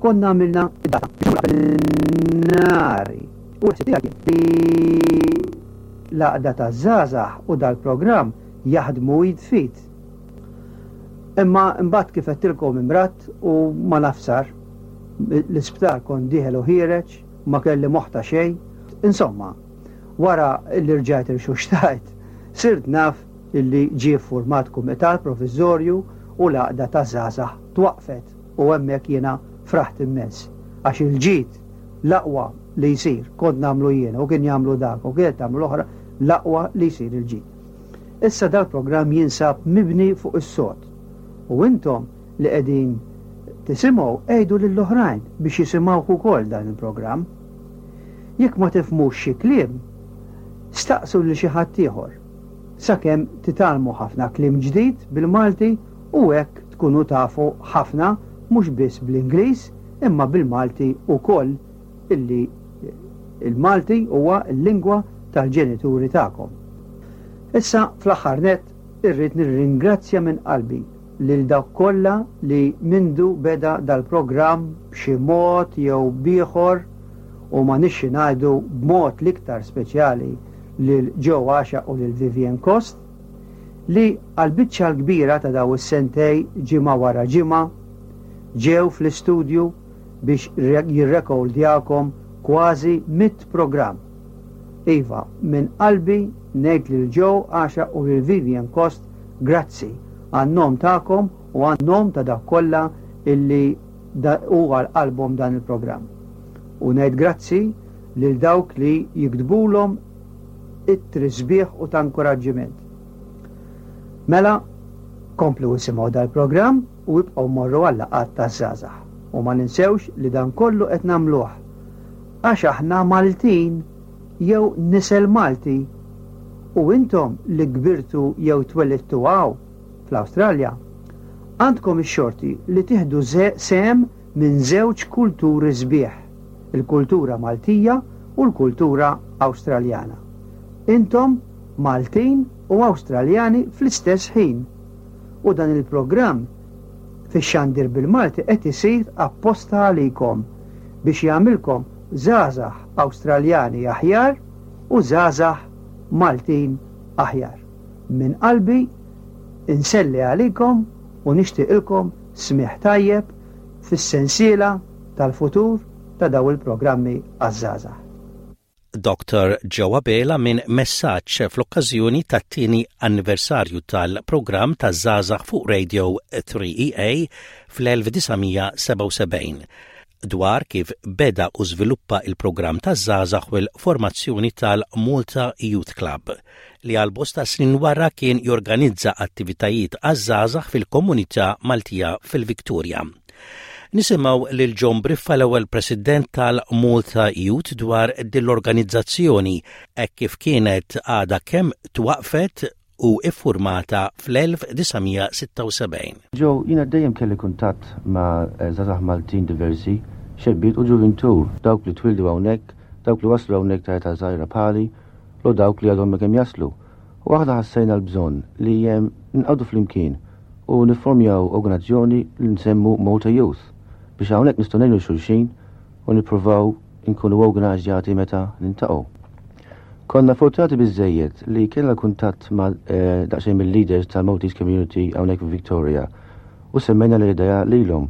konna għamilna id-data nari. U l-ħsieb tiegħi kien li l-għaqda taż-żgħażagħ u dal-programm jaħdmu id f'id. Imma mbagħad kif għedtilkom imradt u ma naf x'sar. L-isptar kont dieħel u ħiereġ, ma kelli moħħ ta' xejn. Insomma, wara li rġajt irxuxtajt, sirt naf illi ġie format kumitat provviżorju u l-għaqda taż-żgħażagħ twaqfet u hemmhekk jiena fraħt immens. Għax il-ġid l-aqwa li jsir kont nagħmlu jiena u kien jagħmlu dak u kien tagħmlu l-oħra l-aqwa li jsir il-ġid. Issa dal-programm jinsab mibni fuq is-sod. U intom li qegħdin tisimgħu għidu lill-oħrajn biex jisimgħu ukoll dan il-programm. Jekk ma tifhmux xi kliem, staqsu lil xi ħadd ieħor. Sakemm titgħallmu ħafna kliem ġdid bil-Malti u hekk tkunu tafu ħafna mhux biss bl-Ingliż imma bil-Malti ukoll illi il-Malti huwa l-lingwa tal-ġenituri tagħkom. Issa fl-aħħar nett irrid nirringrazzja minn qalbi lil dawk kollha li mindu beda dal-programm b'xi mod jew b'ieħor u ma nixxi ngħidu b'mod l-iktar speċjali lil Joe Għaxaq u lil Vivian Cost li għal-biċċa l-kbira ta' daw is-sentej ġimgħa wara ġimgħa ġew fl-istudju biex jirrekordjawkom kważi mitt programm. Iva, minn qalbi ngħid lil Joe Għaxaq u lil Vivian Cost grazzi għan-nom tagħkom u għan-nom ta' dak kollha illi hu għal qalbhom dan il-programm. U ngħid grazzi lil dawk li jiktbulhom ittri sbieħ u ta' inkoraġġiment. Mela, komplu isimgħu dal-programm u ibqgħu morru għal-laqgħat taż-żgħażagħ. U ma ninsewx li dan kollu qed nagħmluh għax aħna Maltin jew nisel Malti u intom li kbirtu jew twelidtu hawn fl-Awstralja għandkom ix-xorti li tieħdu sehem minn żewġ kulturi sbieħ, il-kultura Maltija u l-kultura Awstraljana. Intom Maltin u Awstraljani fl-istess ħin. U dan il-programm fix-xandir bil-Malti qed isir apposta għalikom biex jagħmilkom żgħażagħ Awstraljani aħjar u żgħażagħ Maltin aħjar. Minn qalbi inselli għalikom u nixtieqilkom smigħ tajjeb fis-sensiela tal-futur ta' daw il-programmi għaż-żgħażagħ. Dr. Joe Abela minn messaġġ fl-okkażjoni tat-tieni anniversarju tal-programm taż-żgħażagħ fuq Radio three E A fl-elf disa' mija sebgħa u sebgħin dwar kif beda u żviluppa il-programm taż-żgħażagħ u l-formazzjoni tal-Malta Youth Club li għal bosta snin wara kien jorganizza attivitajiet għaż-żgħażagħ fil-komunità Maltija fil-Viktoria. Nisimgħu lil John Briffa, l-ewwel president tal-Malta Youth, dwar din l-organizzazzjoni hekk kif kienet għadha kemm twaqfet u iffurmata fl-elf disa' mija sitta u sebgħin. Joe, jiena dejjem kelli kuntatt ma' żgħażagħ Maltin diversi, xebbiet u ġuvintur, dawk li twildu hawnhekk, dawk li waslu hawnhekk ta' età żgħira bħali, u dawk li għadhom kemm jaslu. U aħna ħassejna l-bżonn li nqagħdu flimkien u niformjaw organizzazzjoni li nsemmu Malta Youth biex hawnhekk nistgħu ngħinu xulxin u nippruvaw inkunu organizzati meta niltaqgħu. Konna fortunati biżejjed li kellna kuntatt ma' eh, daqsxejn mill-leaders tal-Maltese Community hawnhekk f'Victoria u semmejna l-idea lilhom.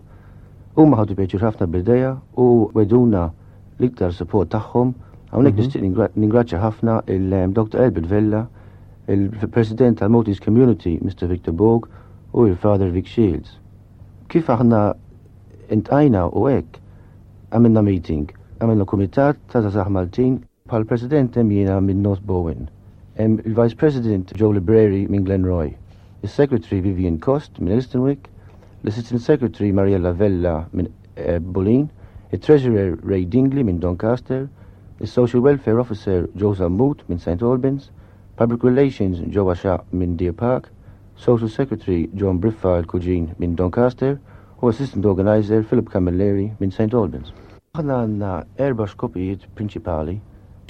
Huma ħadu pjaċir ħafna bl-idea u wegħduna l-iktar support tagħhom. Hawnhekk nixtieq ningrazzja ħafna il-Dr. Albert Vella, il-President tal-Maltese Community, Mr. Victor Borg, u il-Father Vic Shields. Kif aħna iltqajna u hekk, għamilna meeting, għamilna kumitat ta' żgħażagħ Maltin bħal President hemm jiena minn North Bowen, hemm il-Vice President Joe Libreri minn Glenroy, il-Secretary Vivian Cost minn Elsternwick, l-Assistant Secretary Mariella Vella minn eh, Bulleen, il-Treasurer Ray Dingley minn Doncaster, il-Social Welfare Officer Joe Zammut minn St. Albans, Public Relations Joe Asha minn Deer Park, Social Secretary John Briffa il-Kuġin minn Doncaster u Assistant Organizer Philip Camilleri minn St. Albans. Aħna għandna erba' skopijiet prinċipali.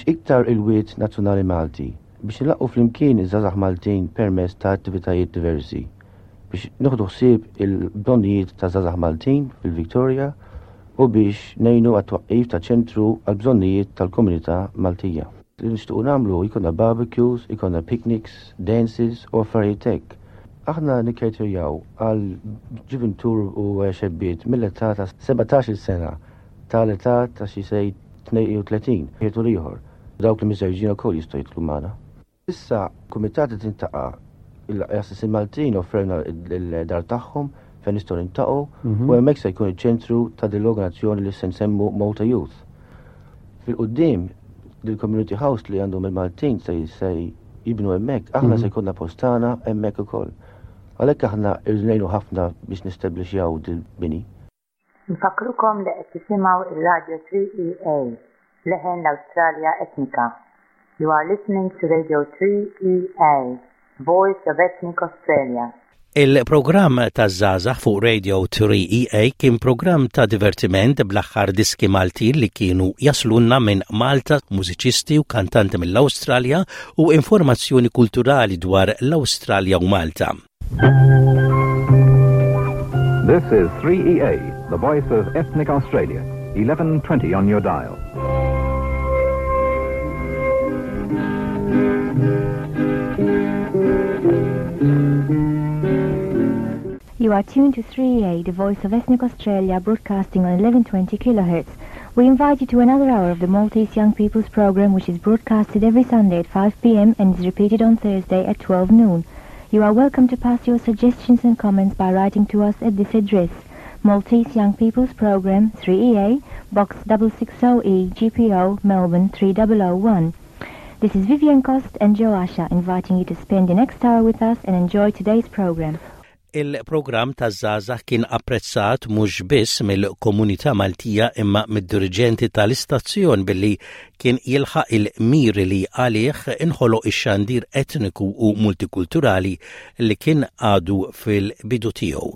Iktar il-wirt nazzjonali Malti biex nlaqqgħu flimkien iż-żgħażagħ Maltin permezz ta' attivitajiet diversi biex nieħdu ħsieb il-bżonnijiet ta' żgħażagħ Maltin fil-Victoria u biex ngħinu għat-twaqqif ta' ċentru għal bżonnijiet tal-komunità Maltija. Li nixtiequ nagħmlu jkollna barbecues, jkollna picnics, dances u affarijiet hekk. Aħna nikkejterjaw għal ġuvintur u xebbiet mill-età ta' sebatax-il sena tal-età ta' xi sej tnejn u tletin ħietu ieħor. Dawk li miżżewġin ukoll jistgħu jidħlu magħna. Issa kumitat tintaqa' il-Assissin Maltin offrewna il-dar tagħhom fejn nistgħu niltaqgħu Mhm. u hemmhekk se jkun iċ-ċentru ta' din l-organizzazzjoni li se nsemmu Malta Youth. Fil-qudiem il-Community House li għandhom il-Maltin se se jibnu hemmhekk, aħna Mhm. se jkollna post tagħna hemmhekk ukoll. Għalhekk aħna irnejnu ħafna biex nistabbilixxjaw dil-bini. Nfakrukom li qed tisimgħu ir-Radio three E A, leħen l-Awstralja Etnika. You are listening to Radio three E A, Voice of Ethnic Australia. Il-programm ta' Żgħażagħ fuq Radio three E A kien programm ta' divertiment bl-aħħar diski Maltin li kienu jaslunna minn Malta, mużiċisti u kantanti mill-Awstralja u informazzjoni kulturali dwar l-Awstralja u Malta. This is three E A, the voice of ethnic Australia, eleven twenty on your dial. You are tuned to three E A, the voice of ethnic Australia, broadcasting on eleven twenty kilohertz. We invite you to another hour of the Maltese Young People's Program, which is broadcasted every Sunday at five p m and is repeated on Thursday at twelve noon. You are welcome to pass your suggestions and comments by writing to us at this address: Maltese Young People's Program, three E A, Box six six zero E, G P O, Melbourne three zero zero one. This is Vivian Cost and Joe Asha inviting you to spend the next hour with us and enjoy today's program. Il-programm ta' Żgħażagħ kien apprezzat mhux biss mill-komunità Maltija imma mid-dirigenti tal-istazzjon billi kien jilħaq il-miri li għalih inħoloq ix-xandir etniku u multikulturali li kien għadu fil-bidu tiegħu.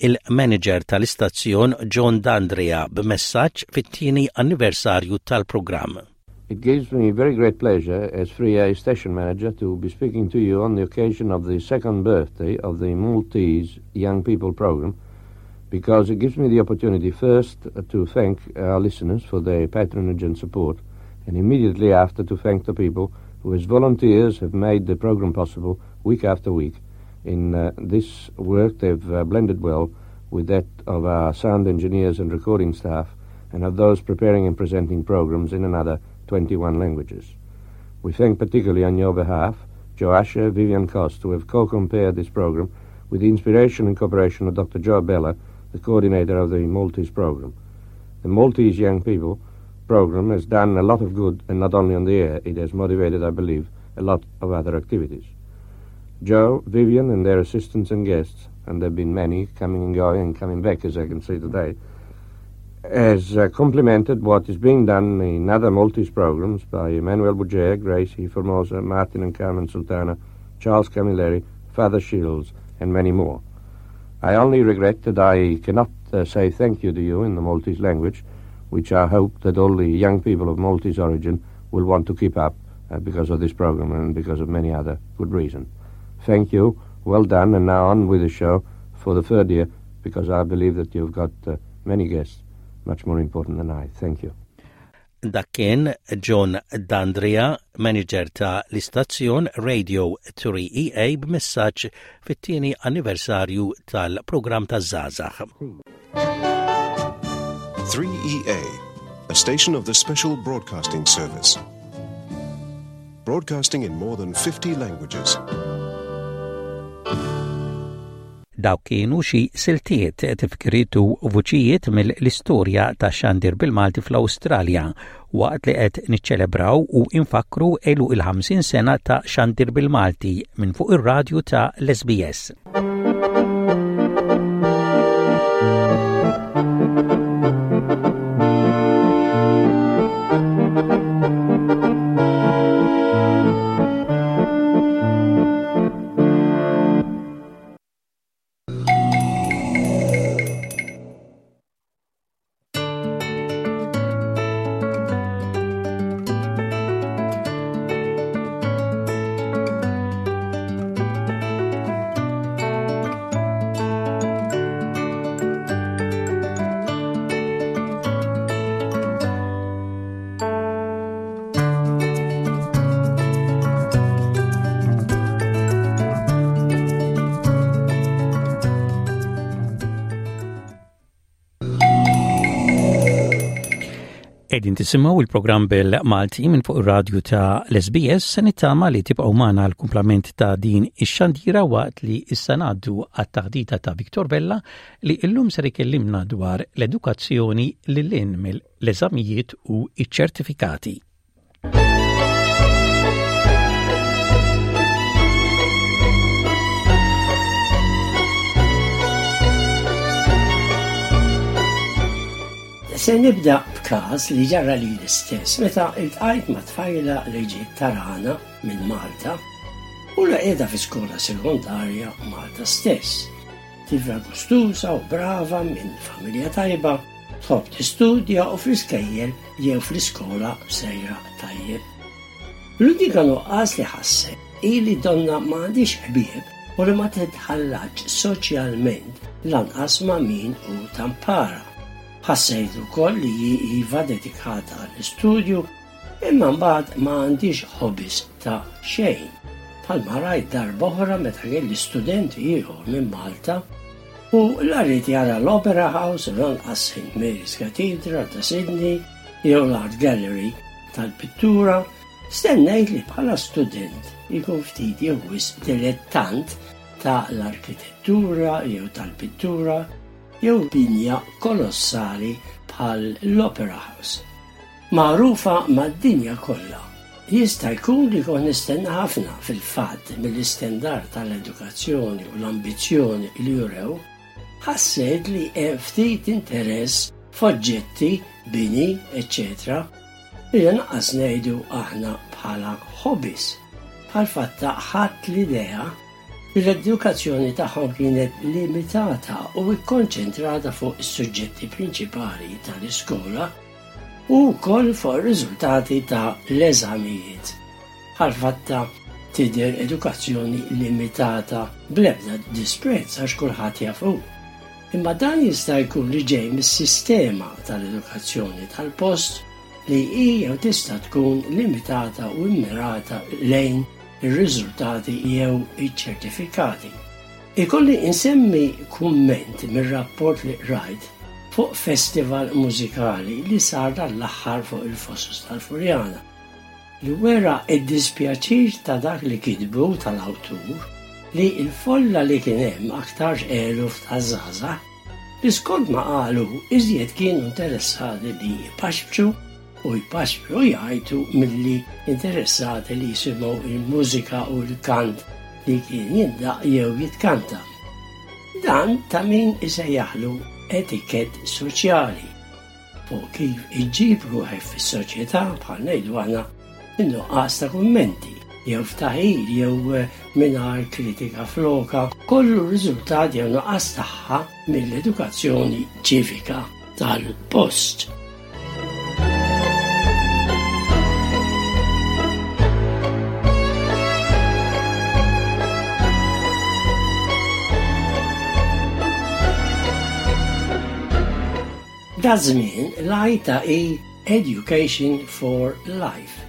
Il-manager tal-istazzjon John D'Andrea b'messaġġ fit-tieni anniversarju tal-programm. It gives me very great pleasure as three A station manager to be speaking to you on the occasion of the second birthday of the Maltese Young People program, because it gives me the opportunity first to thank our listeners for their patronage and support, and immediately after to thank the people who as volunteers have made the program possible week after week. In uh, this work they've uh, blended well with that of our sound engineers and recording staff and of those preparing and presenting programs in another twenty-one languages. We thank particularly on your behalf Joe Asher, Vivian Cost, who have co-compared this program with the inspiration and cooperation of Doctor Joe Bella, the coordinator of the Maltese program. The Maltese Young People program has done a lot of good, and not only on the air, it has motivated, I believe, a lot of other activities. Joe, Vivian, and their assistants and guests, and there have been many coming and going and coming back, as I can see today, has uh, complemented what is being done in other Maltese programs by Emmanuel Bugeja, Gracie Formosa, Martin and Carmen Sultana, Charles Camilleri, Father Shields, and many more. I only regret that I cannot uh, say thank you to you in the Maltese language, which I hope that all the young people of Maltese origin will want to keep up uh, because of this program and because of many other good reasons. Thank you, well done, and now on with the show for the third year, because I believe that you've got uh, many guests much more important than I. Thank you. Dak kien John D'Andrea, manager ta' l-istazzjon Radio three E A b'messaġġ fit-tieni anniversarju tal-programm ta' Żgħażagħ. three E A, a station of the Special Broadcasting Service. Broadcasting in more than fifty languages. Dawk kienu xi siltiet, tifkiriet u vuċijiet mill-istorja ta' xandir bil-Malti fl-Awstralja waqt li qed niċċelebraw u infakru għeluq il-ħamsin sena ta' xandir bil-Malti minn fuq ir-radju ta' l-S B S. Qegħdin tisimgħu il-programm bil-Malti minn fuq ir-radju ta' l-S B S. Se nittama li tibqgħu magħna l-kumplament ta' din ix-xandira waqt li issa ngħaddu għat-taħdita ta' Victor Vella, li illum ser ikellimna dwar l-edukazzjoni lil hinn mill-eżamijiet u iċ-ċertifikati. Se nibda b'każ li ġara li l-istess meta iltqajt ma' tfajla li ġiet tarana minn Malta u la qiegħda fi skola sekondarja Malta stess. Tifla gustusa u brava minn familja tajba, tħobb tistudja u fl-iskejjel jew fl-iskola sejra tajjeb. L-unika nuqqas li ħasset hi li donna m'għandix ħbieb u li ma titħallatx soċjalment lanqas ma' min hu tampara. Ħassejt ukoll li hi iva dedikata għall-istudju, imma mbagħad ma għandix hobbies ta' xejn. Bħalma rajt darba oħra meta kelli studenti ieħor minn Malta u la ried jara l-Opera House, lanqas Saint Mary's Cathedral ta' Sydney jew l-Art Gallery tal-pittura, stennejt li bħala student ikun ftit jew wisq dilettant ta' l-arkitettura jew tal-pittura jew binja kolossali bħal l-Opera House, magħrufa mad-dinja kollha. Jista' jkun li kont nistenna ħafna fil-fatt mill-istandard tal-edukazzjoni u l-ambizzjoni li jurew, ħassejt li hemm ftit interess f'oġġetti, bini, eċċetera li lanqas ngħidu aħna bħala hobbies. Bħal fatta ħadd l-idea li l-edukazzjoni tagħhom kienet limitata u ikkonċentrata fuq is-suġġetti prinċipali tal-iskola u wkoll fuq ir-riżultati ta' l-eżamijiet. Bħal fatta tidher edukazzjoni limitata, bl-ebda disprezz għax kulħadd jafu. Imma dan jista' jkun li ġej mis-sistema tal-edukazzjoni tal-post li hi jew tista' tkun limitata u immirata lejn ir-riżultati jew iċ-ċertifikati. Ikolli insemmi kumment mir-rapport li rajt fuq festival mużikali li sar dal-aħħar fuq il-Fosos tal-Furjana, li wera id-dispjaċir ta' dak li kitbu tal-awtur li il-folla li kien hemm aktarx eluf ta' żgħażagħ li skont ma qalu iżjed kienu interessati li jpaxpxu u jpaxpxu jgħajtu milli interessati li jisimgħu il-mużika u l-kant li kien jindaq jew jitkanta. Dan ta' min isejjaħlu etikett soċjali fuq kif iġġib ruħek fis-soċjetà, bħal ngħidu aħna in-nuqqas ta' kummenti jew ftaħir jew mingħajr kritika floka, kollu riżultat jew nuqqas tagħha mill-edukazzjoni ċivika tal-post. Da żmien l-għajta hi Education for Life,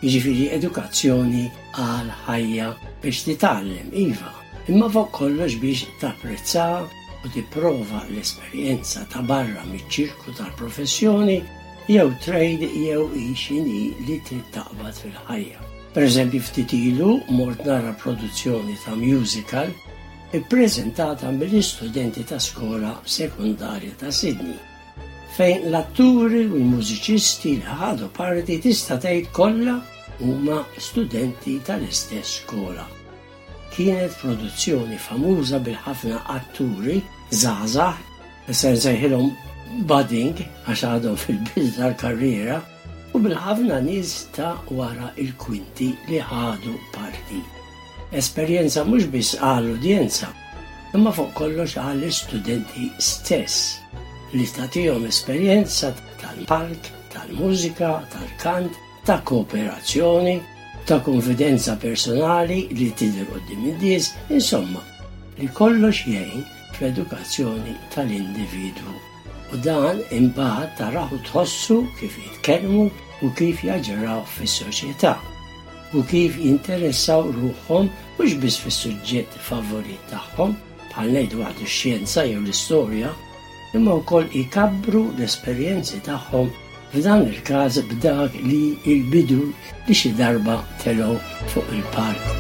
jiġifieri edukazzjoni għal ħajja biex titgħallem iva, imma fuq kollox biex tapprezza u tipprova l-esperjenza ta' barra miċ-ċirku tal-professjoni. jew trade jew hi x'inhi li trid taqbad fil-ħajja. Per eżempju, ftit ilu mort nara produzzjoni ta' musical ippreżentata mill-istudenti ta' skola sekundarja ta' Sydney, fejn l-atturi u l-mużiċisti li ħadu parti tista' tgħid kollha huma studenti tal-istess skola. Kienet produzzjoni famuża bil-ħafna atturi żgħażagħ, se nsejħilhom budding għax għadhom fil-bidu tal-karriera, u bil-ħafna nies ta' wara il-kwinti li ħadu parti. Esperjenza mhux biss għall-udjenza, imma fuq kollox għall-istudenti stess, li tagħtihom esperjenza tal-palk, tal-mużika, tal-kant, ta' kooperazzjoni, ta' konfidenza personali li tidher quddiem in-nies, insomma, li kollox jgħin fl-edukazzjoni tal-individwu. U dan imbagħad tarahu tħossu kif jitkellmu u kif jaġiraw fis-soċjetà u kif jinteressaw ruħhom mhux biss fis-suġġett favorit tagħhom, bħal ngħidu waħdu x-xjenza jew l-istorja, imma wkoll ikabbru l-esperjenzi tagħhom f'dan il-każ b'dak li il-bidu li xi darba telgħu fuq il-palk.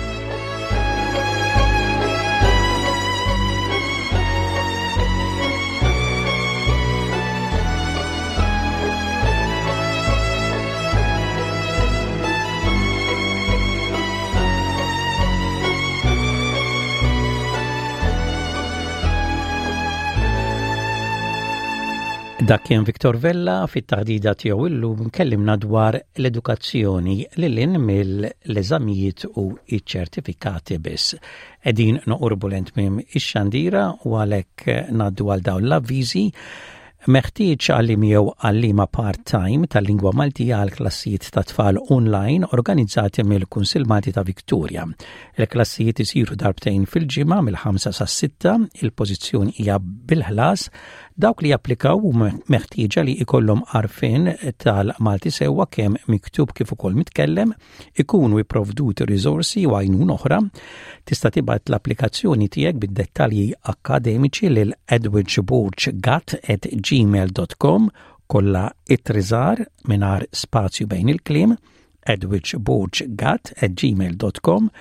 Dak kien Victor Vella fit-taħdida tiegħu illum kellimna dwar l-edukazzjoni lil hinn mill-eżamijiet u iċ-ċertifikati biss. Qegħdin noqorbu lejn tmiem ix-xandira u għalhekk ngħaddu għal dawn l-avviżi. Meħtieġ għalliem jew għalliema part-time tal-lingwa Maltija għal klassijiet ta' tfal online organizzati mill-Kunsill Malti ta' Victoria. Il-klassijiet isiru darbtejn fil-ġimgħa mill-ħamsa sas-sitta, il-pożizzjoni hija bil-ħlas. Dawk li japplikaw huma meħtieġa li ikollhom għarfien tal-Malti sewwa kemm miktub kif ukoll mitkellem, ikunu ipprovduti riżorsi u għajnuna oħra. Tista' tibgħat l-applikazzjoni tiegħek bid-dettalji akkademiċi lil edwidgeborggat at gmail dot com, kollha ittri żgħar mingħajr spazju bejn il-kliem, edwidgeborggat at gmail dot com.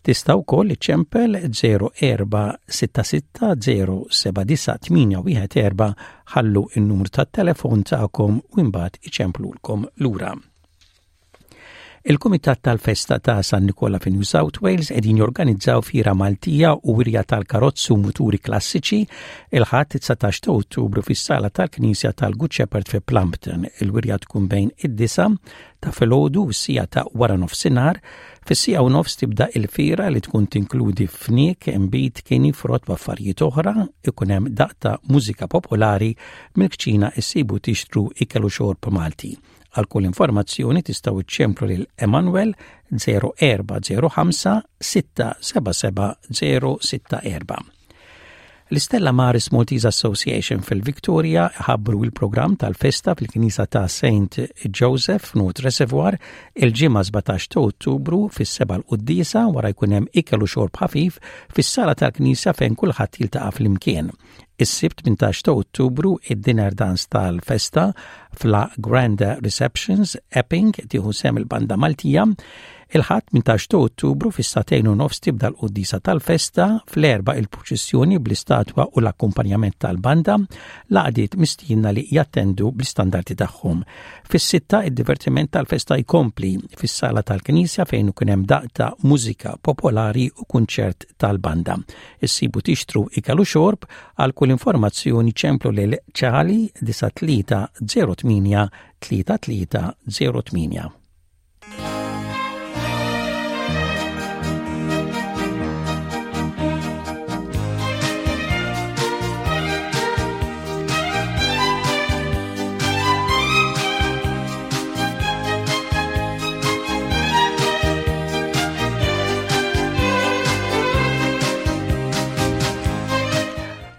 Tista' wkoll iċċempel zero erba' sitta sitta zero seba' disa' tmienja wieħed erba', ħallu n-numru tat-telefon tagħkom u imbagħad iċemplulkom lura. Il-Kumitat tal-Festa ta' San Nikola fi New South Wales qegħdin jorganizzaw fira Maltija u wirja tal-karozzi u muturi klassiċi il-Ħadd dsatax ta' Ottubru fis-sala tal-Knisja tal-Good Shepherd fi Plumpton. Il-wirja tkun bejn id-disa ta' filgħodu u s-siegħa ta' wara nofsinhar. Fis-siegħa u nofs tibda il-fira li tkun tinkludi fniek, imbid, kini, frott u affarijiet oħra, ikun hemm daqq ta' mużika popolari, mill-kċina issibu tixtru ikel u xorb Malti. Għal kull informazzjoni tistgħu iċċemplu lil Emanuel zero erba' zero ħamsa sitta seba' seba' zero sitta erba'. L-Stella Maris Maltese Association fil-Victoria ħabbru il-programm tal-festa fil-Kinisa ta' Saint Joseph North Reservoir il-ġimgħa sbatax ta' Ottubru fis-seba' l-quddiesa, wara jkun hemm ikel u xorb ħafif fis-sala tal-Knisja fejn kulħadd jiltaqa' flimkien. Is-Sibt tmintax ta' Ottubru id-dinner dance tal-festa fla Grand Receptions Epping, tieħu sehem il-Banda Maltija. Il-Ħadd tmintax ta' Ottubru fis-sagħtejn u nofs tibda l-quddiesa tal-festa, fl-erba' il-purċissjoni bl-istatwa u l-akkumpanjament tal-banda, l-għaqdiet mistiedna li jattendu bl-istandardi tagħhom. Fis-sitta id-divertiment tal-festa jkompli fis-sala tal-Knisja fejn ikun hemm daqq ta' mużika popolari u kunċert tal-banda. Issibu tixtru ikel u xorb. Għal kull informazzjoni ċemplu lil Ċali disa tlieta zero tmienja tlieta tlieta zero tmienja.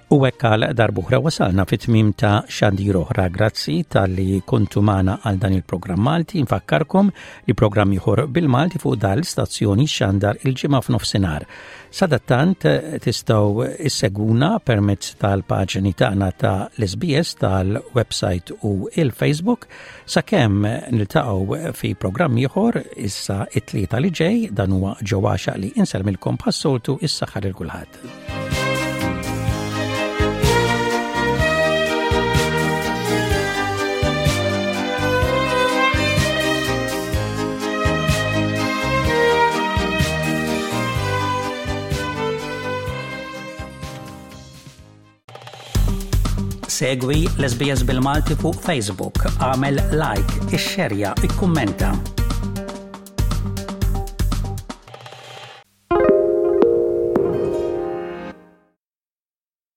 U hekk għal darb'oħra wasalna fit-tmiem ta' xandir oħra. Grazzi talli kontu magħna għal dan il-programm Malti. Nfakkarkom li programm ieħor bil-Malti fuq dal stazzjoni xandar il-ġimgħa f'nofsinhar. Sadattant tistgħu issegwuna permezz tal-paġni tagħna ta' l-S B S tal-website u il-Facebook. Sakemm niltaqgħu fi programm ieħor issa it-tlieta li ġej, dan huwa ġewwaxa li insellmilkom bħas-soltu, is-saħħa lil kulħadd. Segwi l-S B S bil-Malti fuq Facebook, għamel like, ixxerja, ikkummenta.